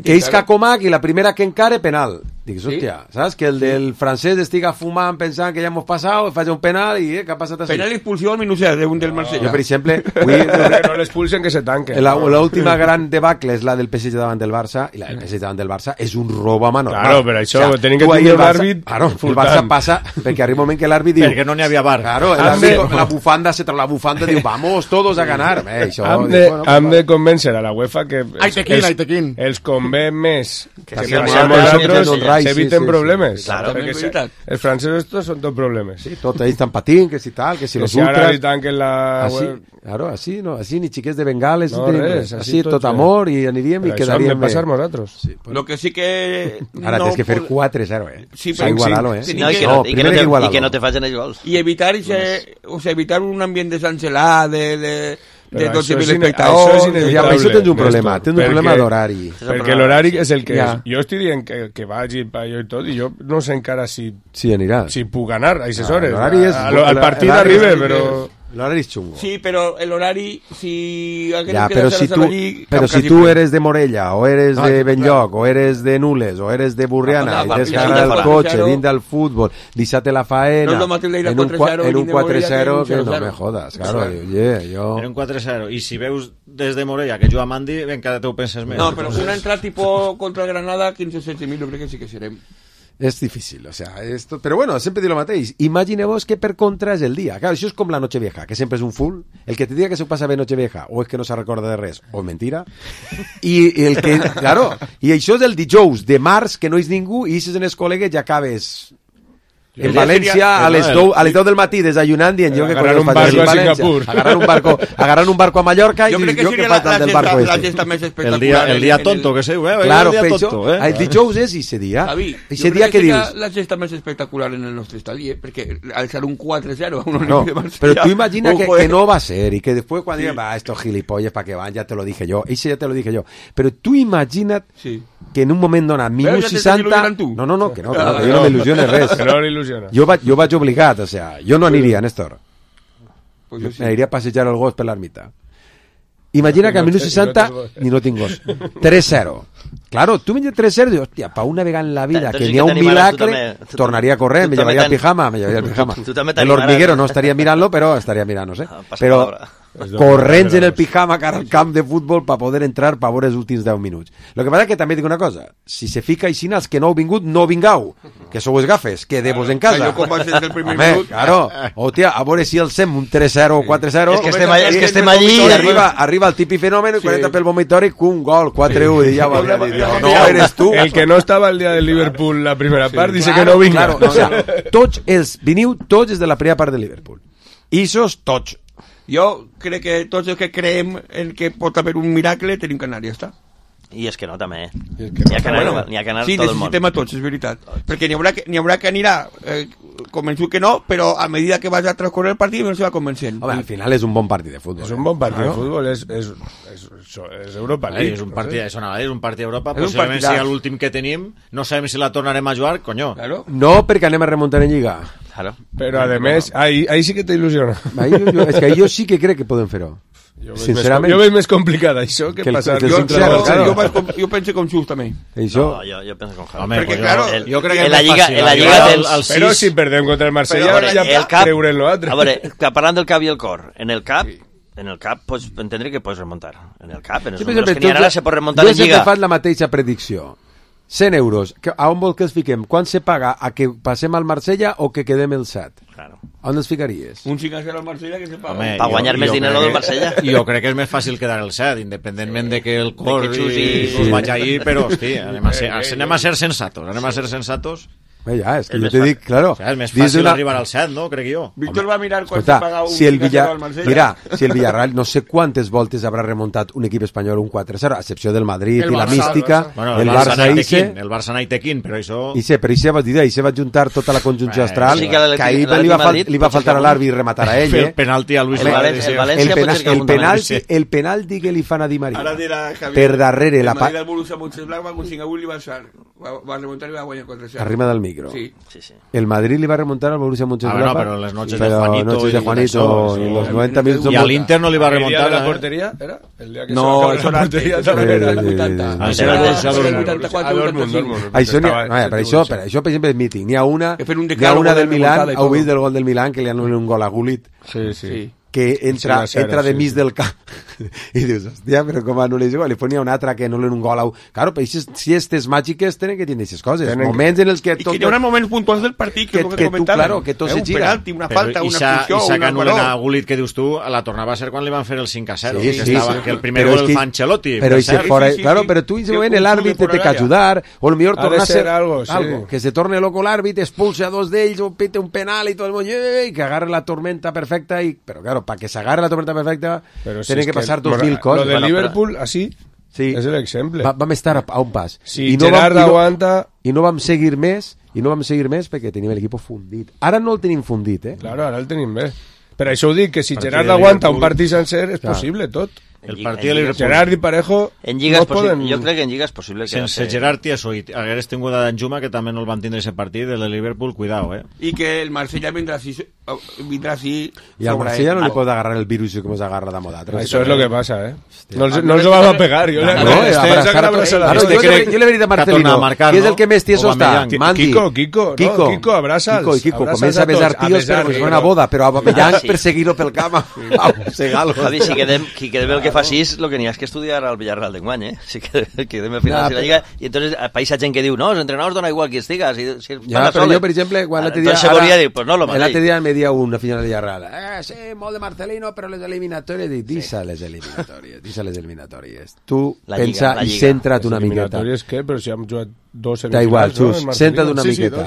Que Isca Comac i la primera que encare, penal. Dic, hòstia, saps? Que el del francès estiga fumant pensant que ja hemos passat, faig un penal i què ha passat així? Penal i expulsió al minut 0 d'un del Marsella. Jo, per exemple... No l'expulsen, que se tanque. L'última gran debacle és la del PSG davant del Barça, i la del PSG davant del Barça és un robo a mà normal. Claro, però això, o sea, tenim que tenir l'àrbit... Claro, el Barça passa, perquè arriba un moment que l'àrbit diu... Perquè no n'hi havia bar. Claro, la bufanda se trae la bufanda diu, vamos todos a ganar. Hem de convèncer a la UEFA que els convé més que nosaltres s'eviten problemes. Claro, els francesos estos són tots problemes. Sí, tots ells estan patint, que si tal, que si los ultras... Que si ara li tanquen la... Claro, així, no, així ni xiquets de bengales, no, res, així tot amor i aniríem i quedaríem bé. Passar nosaltres. Sí, pues... Lo que sí que... Ara tens que fer 4-0, Sí, però igualar-lo, I que no te facin els gols. I evitar un ambient de Sancelà, de de 12.000 espectadors. Això tens un problema, d'horari. Perquè l'horari és el que és. Jo estic dient que vagi per allò i tot, i jo no sé encara si puc anar a aquestes hores. Al partit arriba, però... L'horari és xungo. Sí, però l'horari, si... Però si tu eres de Morella, o eres de Benlloc, o eres de Nules, o eres de Burriana, i tens que anar al cotxe, dins del futbol, deixar-te la faena, en un 4-0, que no me jodas, claro, jo... En un 4-0, i si veus des de Morella que juga Mandi, ben cada teu penses més. No, però una entrada tipo contra el Granada, 15-16.000, jo crec que sí que serem. És difícil, o sea, esto... Però bueno, sempre diu el mateix. Imagineu-vos que per contra és el dia. Claro, això és com la Nochevieja, que sempre és un full. El que te diga que se passa bé Nochevieja o és que no se recorda de res, o mentira. I el que... Claro, i això és el dijous de març, que no és ningú, i ixes en els col·legues i acabes... En València, a les 10 del matí, desayunant, dient jo que agarrar un barco a Singapur. Agarrar un barco a Mallorca i jo que falta del barco este. El dia tonto, que sé, claro, el dijous és ese dia. Ese dia que dius... La gesta més espectacular en el nostre estadi, perquè al ser un 4-0 no, però tu imagina que no va a ser y que después cuando digan, va, estos gilipollas para que van, ya te lo dije yo, ese ya te lo dije yo, pero tú imagina't que en un moment donat, minut 60... No, que no, que jo no m'il·lusiones res. Jo vaig obligat, o sea, jo no aniria, Néstor. Aniria a passejar el gos per l'ermita. Imagina que al minut 60 ni no tinc gos. 3-0. Claro, tu menges 3-0 i dius, hòstia, pa una vegada en la vida que n'hi ha un milagre, tornaria a correr, me llevaria el pijama. El hormiguero no estaria mirant-lo, però estaria mirant-nos, Però corrents en el pijama cara al camp de futbol per poder entrar per veure els últims 10 minuts. Lo que passa que també dic una cosa, si se fica així els que no heu vingut, no vingau, que sou els gafes, quedeu-vos en casa. Jo com vas des del primer minut. Claro, hòstia, a veure si el sem un 3-0 o 4-0. És que estem allí i arriba el típic fenòmeno i quan entra pel vomitori, un gol, 4-1, i ja ho havia dit. No eres tu. El que no estava el dia del Liverpool la primera part dice que no vinga. O sea, tots els veniu, tots des de la primera part del Liverpool. Ixos, tots. Jo crec que tots els que creem en que pot haver un miracle tenim que anar, ja està. I és que no, també, N'hi ha que anar, sí, tot el món. Sí, necessitem a tots, és veritat. Perquè n'hi haurà que anirà convençut que no, però a medida que vas a transcorrer el partit no se va convencent. Home, al final és un bon partit de futbol. És un bon partit de futbol, és Europa League. És un partit d'Europa, possiblement sigui l'últim que tenim, no sabem si la tornarem a jugar, coño. No, perquè anem a remuntar en Lliga. Però, a més, ahí sí que t'il·lusiona. És que jo sí que crec que podem fer-ho. Sincerament, jo veig més complicat això que passar. Jo penso com Xus també. No, jo penso com Javi. Perquè, claro, jo crec que és més fàcil. La Lliga tens... Però si perdem contra el Marsella, ja creure en l'altre. A veure, parlant del cap i el cor, en el cap pots entendre que pots remuntar. En el cap, en els números que n'hi ha ara se pot remuntar en Lliga. Jo sempre faig la mateixa predicció. 100 euros, a on vol que els fiquem? Quan se paga? A que passem al Marsella o que quedem el 7? Claro. On els ficaries? Un 5-0 al Marsella que se paga. Per guanyar més dinero del Marsella. Jo crec que és més fàcil quedar el 7, independentment de que el cor us vaig ahir, però, hosti, anem a ser sensatos. Ja, és que jo te dic, claro. O sea, és més fàcil arribar al 7, no? Crec jo. Víctor va mirar quan se paga un 5-0 al Marsella. Mira, si el Villarreal no sé quantes voltes haurà remuntat un equip espanyol un 4-0, a excepció del Madrid i la mística, el Barça el Barça Naitequín, però això... Però ahir se va juntar tota la conjunció astral, que ahir li va faltar a l'àrbitre rematar a ell. El penalti a Luis el penalti que li fan a Di Maria per darrere el Madrid del Borussia Mönchengladbach va aconseguir i va remuntar i va guanyar 4-0. Arriba del micro. Sí. El Madrid li va remuntar al Borussia Mönchengladbach. Pero las noches de Juanito y los 90 minutos. Y al Inter no le iba a remontar. ¿El día de la portería era? El día que no, eso la portería también era el 84. Per això, per exemple, és mític. N'hi ha una del Milan, heu vist del gol del Milan, que li han un gol a Gullit. Sí. Que entra de mig del camp i dius, hòstia, però com anul·les igual, li fonia un altre que anul·len un gol claro, però si estes màgiques tenen que tenir aquestes coses, moments en els que i que hi haurà moments puntuals del partit que claro, que tot se gira, un penalti, una falta, una expulsió, i que anul·len a Gullit, que dius tu, la tornava a ser quan li van fer el 5-0, que el primer gol el fa Ancelotti, claro, però tu en ese moment l'àrbitre té que ajudar, o millor tornar a ser algo, que se torne loco l'àrbitre, expulse a dos d'ells, o pite un penal i tot el món, i que agarre la tormenta perfecta, però claro, para que se agarre la tormenta perfecta tienen que pasar 2.000 cosas. Lo de Liverpool, así, és l'exemple. Vam estar a un pas. Si Gerard aguanta... I no vam seguir més perquè teníem l'equip fundit. Ara no el tenim fundit, Claro, ara el tenim bé. Per això ho dic, que si Gerard aguanta un partit sencer és possible tot. El partit de Liverpool. Gerard i Parejo en Lliga no poden... Jo crec que en Lliga és possible que... Sense Gerard i això, i hagués tingut a Danjuma, que també no el van tindre ese partit, el de Liverpool, cuidao, I que el Marsella vindrà així y al Marsella no le puede agarrar el virus como se agarra de moda. Eso es lo que pasa, No se va a pegar. Yo le vería a Marcelino, que es el que més tieso está. Kiko, abrázalo. Kiko, comienza a besar tíos, pero como si fuera una boda, pero a Bamellán perseguirlo pel camp. Javi, si quedem el que fa 6, lo que n'hi ha és que estudiar al Villarreal d'enguany, Si quedem al final de la Lliga, i entonces país gent que diu, no, els entrenadors dona igual qui estiga. Però jo, per exemple, quan l'altre dia me dia una final de Villarreal, sí, molt de Marcelino, però les eliminatòries, deixa les eliminatòries. Tu pensa i centra't una miqueta. Eliminatòries què? Però si hem jugat 2 semifinals. Da igual, Xus, centra't una miqueta.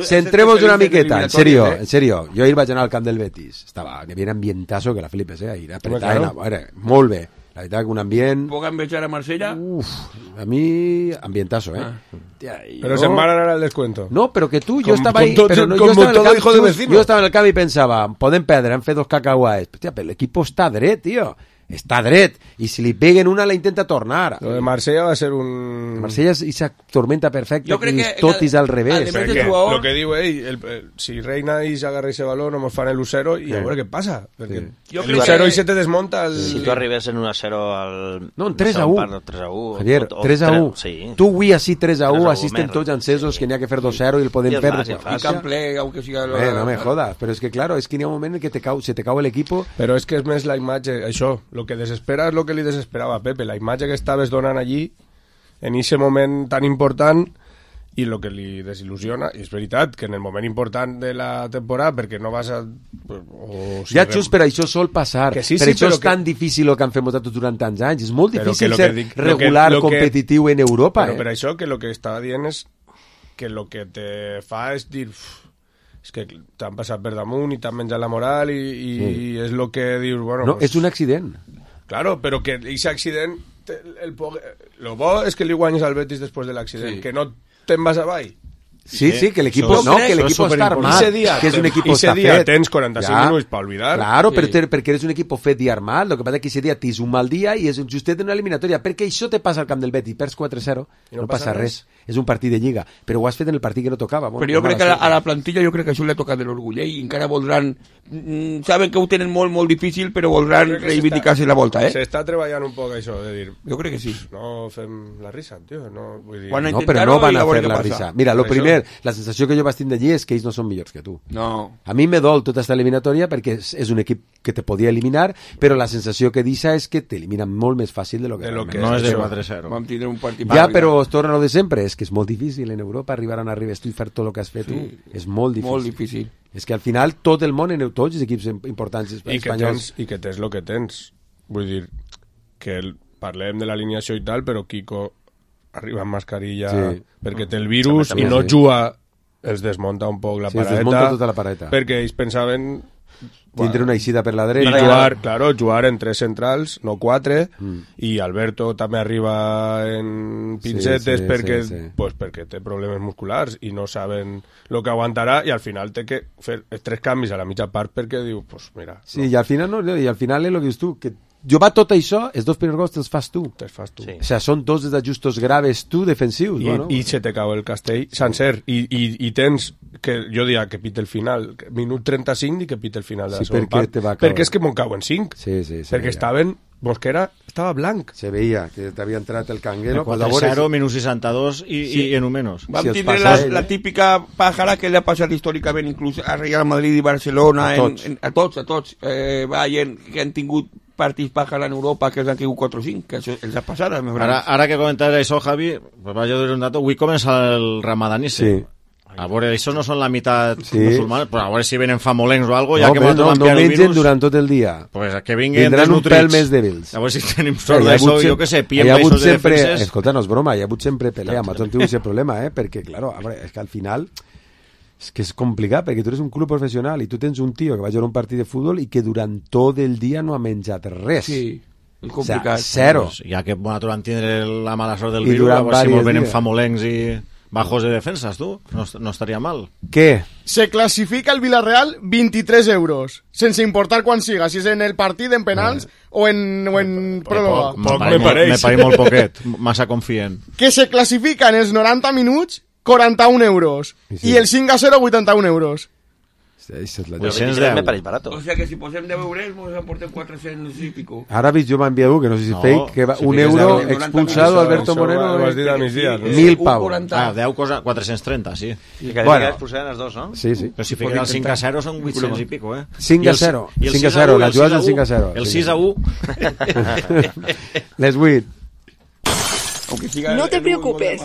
Centremos una miqueta, en serio. Jo ahir vaig anar al camp del Betis. N'hi havia ambientazo que la flipes, ahir apretada, molt bé. La veritat que un ambient... ¿Puedo envechar a Marsella? A mí, ambientazo, Pero se van a ganar el descuento. No, pero que tú, yo estaba ahí... Yo estaba en el camp y pensaba, podem perdre, han fet 2 cacauaes. Pero el equipo está dret, tío. Està dret, i si li peguen una la intenta tornar. Lo de Marsella va ser un... Marsella és esa tormenta perfecta que tot és al revés. Lo que diu ell, si Reina i s'agarra ese balón, nos fan el 1-0 i a veure què passa. Perquè el 1-0 i se te desmonta... Si tu arribes en 1-0 al... No, en 3-1. 3-1. Javier, 3-1. Tu avui així 3-1, assisten tots encesos que n'hi ha que fer 2-0 i el podem perdre. I Cample, aunque siga... No me jodas, però és que claro, és que n'hi ha un moment en què se te cau l'equipo... Però és que és més la imatge, això... Lo que desespera és lo que li desesperava a Pepe, la imatge que estaves donant allí en ese moment tan important i lo que li desil·lusiona, i és veritat que en el moment important de la temporada, perquè no vas a... Ja, Xus, per això sol passar, per això és tan difícil el que han fet tots durant tants anys, és molt difícil ser regular, competitiu en Europa. Però per això que lo que estava dient és que lo que te fa és dir... és que t'han passat per damunt i t'han menjat la moral i és el que dius, bueno... No, és un accident. Claro, però que aquest accident... Lo bo és que li guanyes al Betis després de l'accident, que no te'n vas avall. Sí, que el equipo está armado, que es un equipo está fet. Ese día tens 45 minutos para olvidar. Claro, porque eres un equipo fet y armado. Lo que pasa es que ese día tens un mal día y es justet en una eliminatoria. Perquè això te passa al camp del Betis, perds 4-0, no passa res. És un partit de Lliga, però ho has fet en el partit que no tocava. Però jo crec que a la plantilla jo crec que això li ha tocat de l'orgull, i encara voldran... Saben que ho tenen molt, molt difícil, però voldran reivindicar-se la volta, S'està treballant un poc això, de dir... Jo crec que sí. No fem la risa, tio, no... Vull dir... No, però no van a fer la risa. Mira, lo primer, la sensació que jo vaig tindre allí és que ells no són millors que tu. No. A mi me dol tota esta eliminatòria perquè és un equip que te podia eliminar, però la sensació que deixa és que t'eliminen molt més fàcil de lo que no és de 4-0. Vam tindre un partit... Ja, però es torna lo de sempre, és que és molt difícil en Europa arribar on arribes tu i fer tot el que has fet tu. És molt difícil. Molt difícil. És que al final tot el món, tots els equips importants espanyols... I que tens el que tens. Vull dir, que parlem de l'alineació i tal, però Kiko arriba amb mascarilla perquè té el virus i no juga, els desmunta un poc la paradeta. Es desmunta tota la paradeta. Perquè ells pensaven... Tindre una eixida per la dreta. I jugar en 3 centrals, no 4, i Alberto també arriba en pincetes perquè té problemes musculars i no saben el que aguantarà, i al final té que fer 3 canvis a la mitja part perquè diu, pues mira... Sí, i al final és el que dius tu, que jugar tot això, els 2 primers gols te'ls fas tu. Sí. O sea, són 2 desajustos graves tu, defensius. I se te cau el castell sencer. I tens, que jo diria que pita el final, minut 35 i que pita el final de la segona part. Perquè és que m'ho cauen 5. Sí. Perquè estaven... Mosquera estava blanc. Se veia que t'havia entrat el canguero. 4-0, minut 62 i en un menos. Vam tindre la típica pàjara que li ha passat històricament inclús a Real Madrid i Barcelona, a tots. Bayern, que han tingut partits pàjara en Europa que els han caigut 4-5, que això els ha passat. Ara que comentaves això, Javi, pues vaig a dir un dato. Avui comença el Ramadán i a veure, això no són la meitat musulmans, però a veure si venen famolencs o alguna cosa, ja que no mengen durant tot el dia. Pues que vinguen vindran un pèl més dèbils. A veure si tenim sort d'això, jo que sé, piem baixos de defenses. Escolta, no és broma, hi ha hagut sempre pelea, m'ha tingut aquest problema, perquè, claro, a veure, és que al final és que és complicat, perquè tu eres un club professional i tu tens un tio que va jugar un partit de futbol i que durant tot el dia no ha menjat res. Sí. És complicat. O sea, 0. Ja que nosaltres vam tindre la mala sort del virus, a veure si molt venen famolencs i... Bajos de defensas, tú. No estaría mal. ¿Qué? Se clasifica el Villarreal 23 euros, sense importar quan siga, si és en el partit, en penals o en pròrroga. Me pareix molt poquet, massa confient. Que se classifica en els 90 minuts 41 euros i el 5-0 81 euros. Esa es la me pareix barato. O sea que si posem 10 euros, nos aporten 400 y pico. Ara vist jo m'ha enviat que no sé si fake, que va, un euro expulsado Alberto Moreno. Ho has dit a migdia. 1.000 pavos. 10 cosa, 430, sí. I que bueno, expulsaran els dos, no? Sí, sí. Però si fiquen el 5-0 són 800 i pico, 5-0. 5-0, la jugada del 5-0. El 6-1. Les 8. No te preocupes.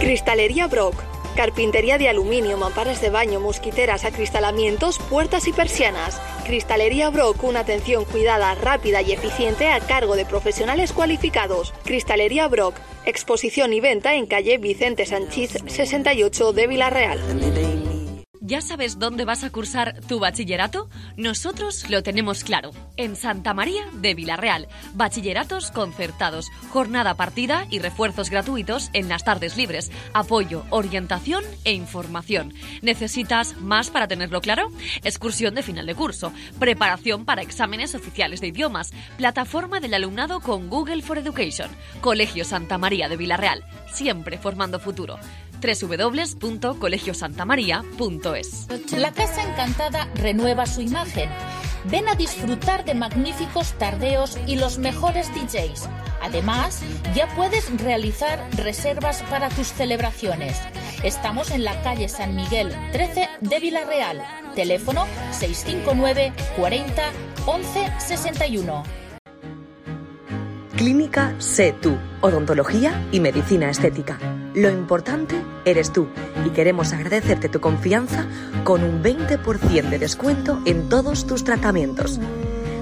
Cristalería Brock. Carpintería de aluminio, mamparas de baño, mosquiteras, acristalamientos, puertas y persianas. Cristalería Brock, una atención cuidada, rápida y eficiente a cargo de profesionales cualificados. Cristalería Brock, exposición y venta en calle Vicente Sanchís 68 de Villarreal. ¿Ya sabes dónde vas a cursar tu bachillerato? Nosotros lo tenemos claro. En Santa María de Villarreal. Bachilleratos concertados, jornada partida y refuerzos gratuitos en las tardes libres. Apoyo, orientación e información. ¿Necesitas más para tenerlo claro? Excursión de final de curso. Preparación para exámenes oficiales de idiomas. Plataforma del alumnado con Google for Education. Colegio Santa María de Villarreal. Siempre formando futuro. www.colegiosantamaria.es. La Casa Encantada renueva su imagen. Ven a disfrutar de magníficos tardeos y los mejores DJs. Además, ya puedes realizar reservas para tus celebraciones. Estamos en la calle San Miguel 13 de Villarreal. Teléfono 659 40 11 61. Clínica Sé Tú, odontología y medicina estética. Lo importante eres tú y queremos agradecerte tu confianza con un 20% de descuento en todos tus tratamientos.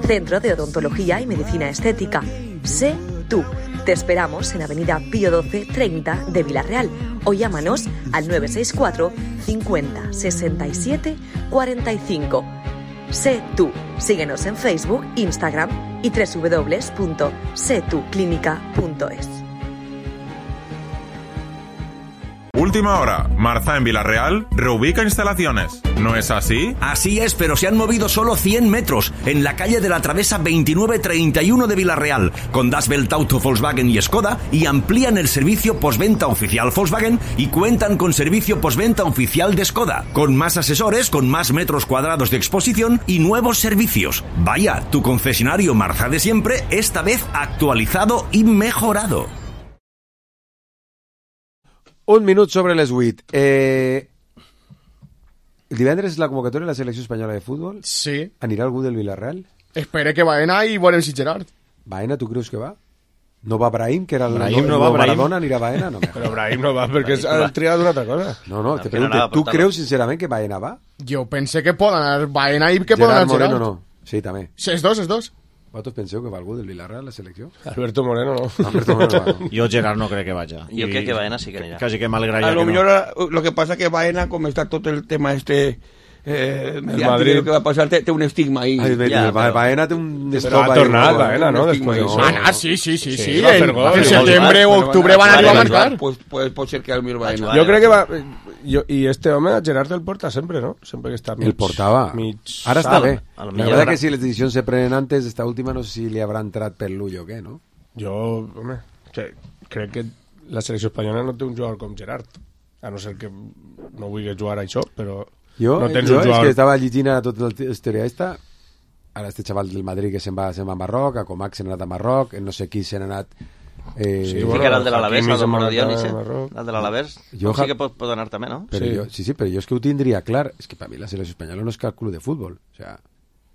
Centro de Odontología y Medicina Estética. Sé Tú. Te esperamos en Avenida Pío 12 30 de Villarreal o llámanos al 964 50 67 45. Sé Tú. Síguenos en Facebook, Instagram y www.setuclinica.es. Última hora. Marza en Villarreal reubica instalaciones. ¿No es así? Así es, pero se han movido solo 100 metros en la calle de la Travesa 2931 de Villarreal, con Das Welt Auto Volkswagen y Skoda, y amplían el servicio postventa oficial Volkswagen y cuentan con servicio postventa oficial de Skoda, con más asesores, con más metros cuadrados de exposición y nuevos servicios. Vaya, tu concesionario Marza de siempre, esta vez actualizado y mejorado. Un minut sobre les 8. El divendres és la convocatòria de la selecció espanyola de futbol? Sí. Anirà algú del Villarreal? Espere que Baena i volem si Gerard. Baena, tu creus que va? No va Brahim, que era el Brahim no va, Maradona, anirà Baena? No, però Brahim no va, perquè ha triat una altra cosa. No, te pregunto, ¿tú creus sincerament que Baena va? Jo pense que pot anar Baena i que pot anar Gerard. Moreno no. Sí, també. És dos. Vosaltres penseu que va algú del Villarreal a la selecció? Alberto Moreno no. Alberto Moreno no. Jo Gerard no crec que vaya. Jo crec que Baena sí que anirà. Quasi que m'alegraria a lo que millor no. Lo que pasa que Baena, com està tot el tema Madrid, que va passar, té un estigma ahí. Baena té un però ha tornat Baena, no? Després sí. En setembre o octubre van arribar a marcar. Pues pot ser que al millor Baena. Jo crec que va... I este home, Gerard el porta sempre, ¿no? Sempre que està mig... El portava. Ara està bé. La verdad que si les decisions se prenen antes, esta última no sé si li habrà entrat per l'ull o què, no? Jo, home, crec que la selecció espanyola no té un jugador com Gerard. A no ser que no vulgui jugar a això, però... Jo no tens un jugador... és que estava llegint a tot el historia esta, ara este xaval del Madrid que se'n va a Marroc, a Comac se n'ha anat a Marroc, no sé qui se n'ha anat... Sí, bueno, el de l'Alavés, el de Dionis, el de l'Alavés, sí que pot anar també, no? Però però jo és que ho tindria clar, és que per mi la selecció espanyola no és cap club de futbol, o sea,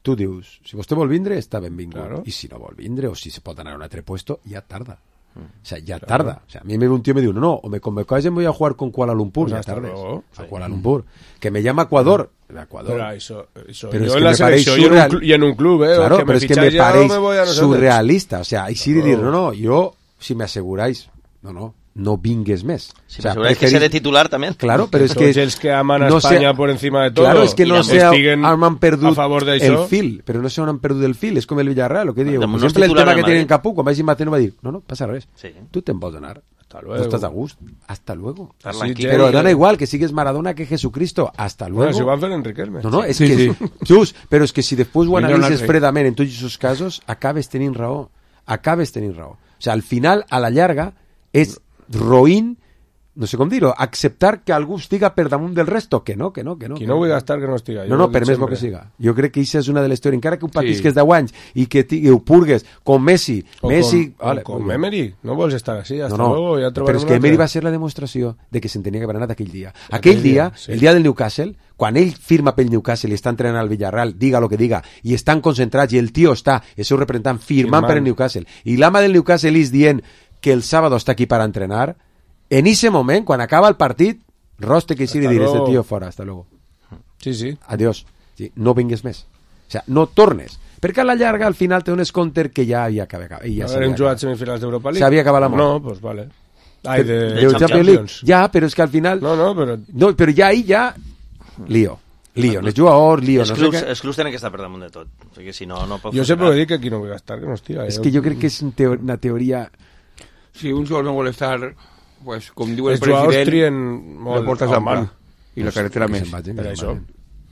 tu dius, si vostè vol vindre, està benvingut, i si no vol vindre, o si se pot anar a un altre puesto, ja tarda. O sea, ya tarda. O sea, a mí un tío me dijo, no, o me convocáis y voy a jugar con Kuala Lumpur, ya tarde. A Kuala Lumpur. Que me llama Ecuador. Pero eso pero yo es en la selección y en un club, claro, que pero es que me parece surrealista. O sea, y sí decir, no, yo, si me aseguráis, no, no vingues més. Sí, o sea, que ser de titular también. Claro, pero es que... els que aman a Espanya por encima de todo. Claro, es que no han perdut a favor el fil, però no se han perdut el fil, és com el Villarreal, el que diu. Per exemple, el tema que tiene en Capú, quan vaig Mateo va dir, no passa res, tu te'n pots anar. Hasta luego. No estás a gust. Hasta luego. Sí, pero da igual que sigues Maradona que Jesucristo. Hasta luego. Bueno, si van fer en Riquelme. No, és que... Just, però és que si després ho analitzes fredament en tots aquests casos, acabes tenint raó. O sea, al final, a la llarga, és roïn, no sé com dir-ho, acceptar que algú estiga per damunt del resto, que no. Qui no vull gastar que no estiga. No, per més bo que siga. Jo crec que això és una de les teories, encara que ho patisques 10 anys i que ho purgues com Messi. Com Emery, no vols estar així, hasta luego, ja trobarem. Però és que Emery va ser la demostració de que se'n tenia que haver anat aquell dia. Aquell dia, el dia del Newcastle, quan ell firma pel Newcastle i està entrenant al Villarreal, diga lo que diga, i estan concentrats, i el tio està, el seu representant, firmant per el Newcastle, i l'ama del Newcastle és dient que el sábado està aquí per entrenar. En ese moment, quan acaba el partit, roste que sí, li diré, este tío fora, hasta luego. Sí. Adiós. Sí, no vingues més. O sea, no tornes. Perquè a la llarga, al final, te dones compte que ja havia acabat. Hem jugat semifinals d'Europa League? S'havia acabat l'amor. No, pues vale. Ai, de Champions. Ja, però és que al final... No, però ja ahí ja... Lío, els jugadors, lío... Els clubs tenen que estar per damunt de tot. O sigui, si no pot jo sempre dic que aquí no vull estar, que no estiga. És que jo crec que és una teoria... Si un jugador no vol estar... Pues, com diu el president, la portes a mà i la carretera més.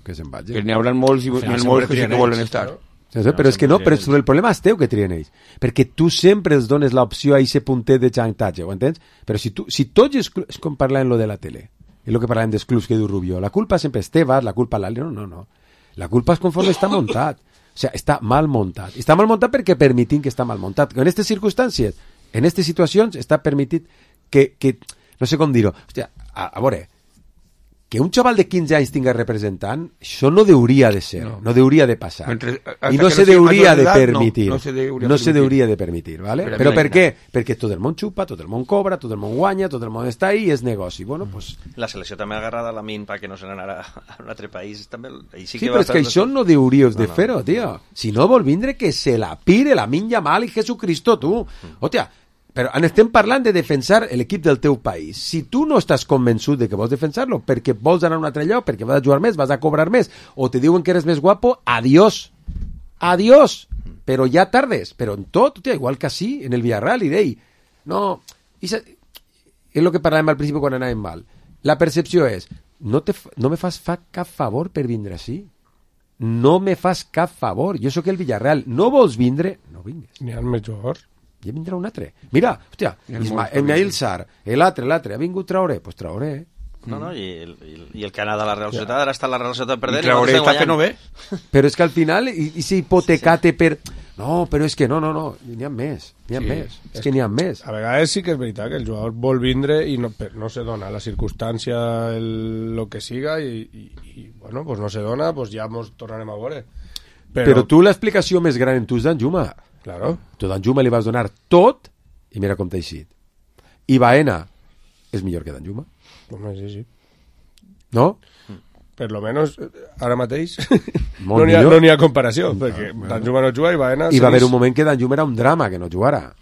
Que se'n vagin. Que n'hi haurà molts i molts que sí que volen estar. Però és que no, però el problema és teu que trien ells. Perquè tu sempre els dones l'opció a aquest puntet de xantatge, ho entens? Però si tots els clubs... És com parlàvem lo de la tele. És el que parlàvem dels clubs que diu Rubio. La culpa sempre és teva, la culpa l'altre. No. La culpa és conforme està muntat. O sigui, està mal muntat. Està mal muntat perquè permitim que està mal muntat. En aquestes circumstàncies, en aquestes situacions, està permitit que no sé com dir-ho, hòstia, a veure, que un xaval de 15 anys tinga representant, això no hauria de ser, no hauria de passar. I no se hauria de permitir. No se hauria de permitir, ¿vale? Però per què? Perquè tot el món xupa, tot el món cobra, tot el món guanya, tot el món està ahí i és negoci. Bueno, pues... La selecció també ha agarrat a la min perquè no se n'anara a un altre país. També... Sí, però és que això no hauríeu de fer-ho, tio. Si no vol vindre que se la pire la min Yamal i Jesucristo, tu. Hòstia, però estem parlant de defensar l'equip del teu país. Si tu no estàs convençut de que vols defensar-lo perquè vols anar a un altre lloc, perquè vas a jugar més, vas a cobrar més, o te diuen que eres més guapo, adiós. Però ja tardes. Però en tot, igual que sí, en el Villarreal, i d'ell. No, és el que parlàvem al principi quan anàvem mal. La percepció és, no me fas cap favor per vindre així. No me fas cap favor. Jo sóc el Villarreal. No vols vindre? No vingues. N'hi ha més jugadors. Ja vindrà un altre. Mira, hòstia, Ismael Sarr, l'altre, ha vingut Traoré? Pues Traoré. No, i el que ha anat a la Real Societat, ara està la Real Societat perdent. I Traoré està que no ve. Però és que al final, i si hipotecate per... No, però és que no, n'hi ha més. És que n'hi ha més. A vegades sí que és veritat que el jugador vol vindre i no se dona la circumstància, lo que siga, i bueno, pues no se dona, pues ja ens tornarem a veure. Però tu l'explicació més gran en tu és d'Anjuma. Claro. Tu d'Anjuma li vas donar tot i mira com t'ha eixit. I Baena és millor que d'Anjuma. Sí. No? Per lo menos, ara mateix no n'hi ha comparació, perquè d'Anjuma no juga i Baena... I va haver un moment que d'Anjuma era un drama que no jugara.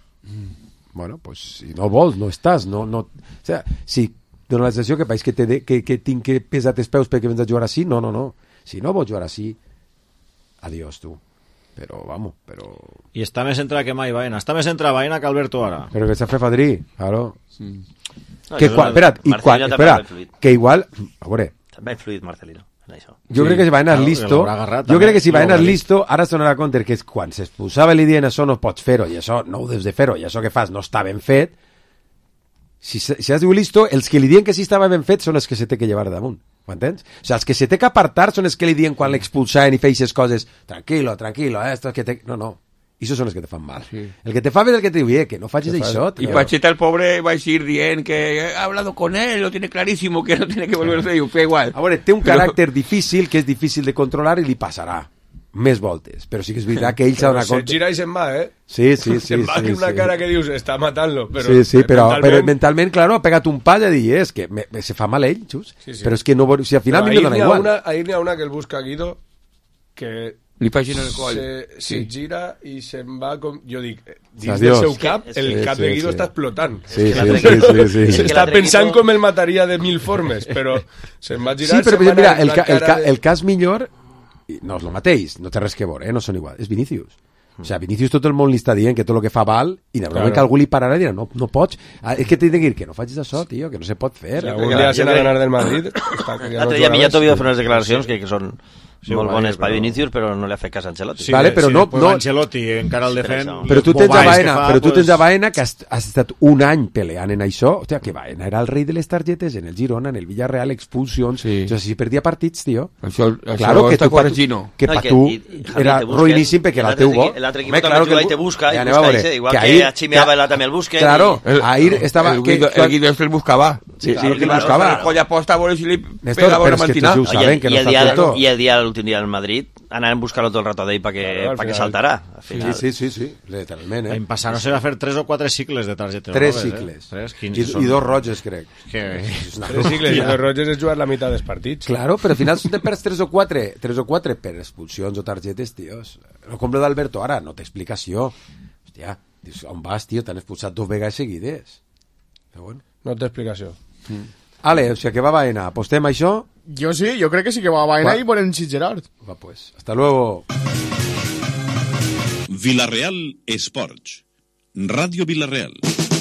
Bueno, pues si no vols, no estàs. O sea, si dona la sensació que país que tinc que pesar els peus perquè vens a jugar així, no. Si no vols jugar així, adiós tu. Però, vamos, però... I està més entrat que mai Baena. Està més entrat Baena que Alberto ara. Però que s'ha fet fadrí, claro. Espera, que igual... A veure... També ha influït Marcelino en això. Jo crec que si Baena és listo... Jo crec que si Baena és listo, ara es donarà compte que quan s'expulsava l'idea en això no pots fer-ho, i això no ho deus de fer-ho, i això que fas no està ben fet, si has dit listo, els que li diuen que sí estava ben fet són els que se té que llevar damunt. Ho entens? O sigui, els que se té que apartar són els que li diuen quan l'expulsaven i feia aquestes coses, tranquilo, esto que te... No. Esos son los que te fan mal. Sí. El que te fa bé és el que te diu, que no facis això. Y Pacheta, el pobre, va a ir dient que ha hablado con él, lo tiene clarísimo, que no tiene que volverse a fer igual. A veure, té un caràcter difícil, que és difícil de controlar i li passarà més voltes, però sí que és veritat que ell s'ha donat compte. Se gira i se'n va, eh? Sí. Se'n va amb una cara que dius, està matant-lo, però... Sí, però mentalment, claro, ha pegat un pal i ha dit, és que se fa mal ell, xus. Sí. Però és que no... Si al final a mi no dona igual. Ahir n'hi ha una que el busca Guido, que Li facin el coll. Se gira i se'n va com... Jo dic, dins del seu cap, el cap de Guido està explotant. Sí. Està pensant com el mataria de 1000 formes, però se'n va girar... Sí, però mira, el cas millor no és el mateix, no té res que veure, no són igual, és Vinícius. O sea, Vinícius tot el món li està dient que tot el que fa val i normalment que algú li pararà i dirà no pots, és que t'he de dir que no facis això, tio, que no se pot fer. Si algun dia se n'ha d'anar del Madrid... L'altre dia Millat havia de fer unes declaracions que són molt bones per Vinícius, però no li ha fet cas a Ancelotti. Sí, vale, però no, Ancelotti encara el defèn. Però tu tens a Baena que has estat un any peleant en això. Hòstia, que Baena era el rei de les targetes en el Girona, en el Villarreal, expulsions. O sea, si perdia partits, tio. Claro, que per tu era ruïníssim perquè era el teu bo. L'altre equip també juga i te busca, igual que a Chimeava també el busca. Claro, ahir estava... El Guido el buscava. Sí, el buscava. El colla posta a veure si li pegava una mantina. I el dia l'últim dia al Madrid anàvem a buscar-lo tot el rato d'ell perquè saltarà. Sí, literalment. L'any passat no se va fer 3 o 4 cicles de targetes. 3 cicles. I 2 roges, crec. 3 cicles i 2 roges és jugar la meitat dels partits. Claro, però al final te perds 3 o 4 per expulsions o targetes, tios. No com lo d'Alberto ara, no té explicació. Hòstia, on vas, tio? T'han expulsat 2 vegades seguides. Però bueno. No té explicació. Ale, o sigui, que va Baena, apostem a això? Jo sí, jo crec que sí que va Baena i volem Gerard. Va, pues, hasta luego. Villarreal Sports. Radio Villarreal.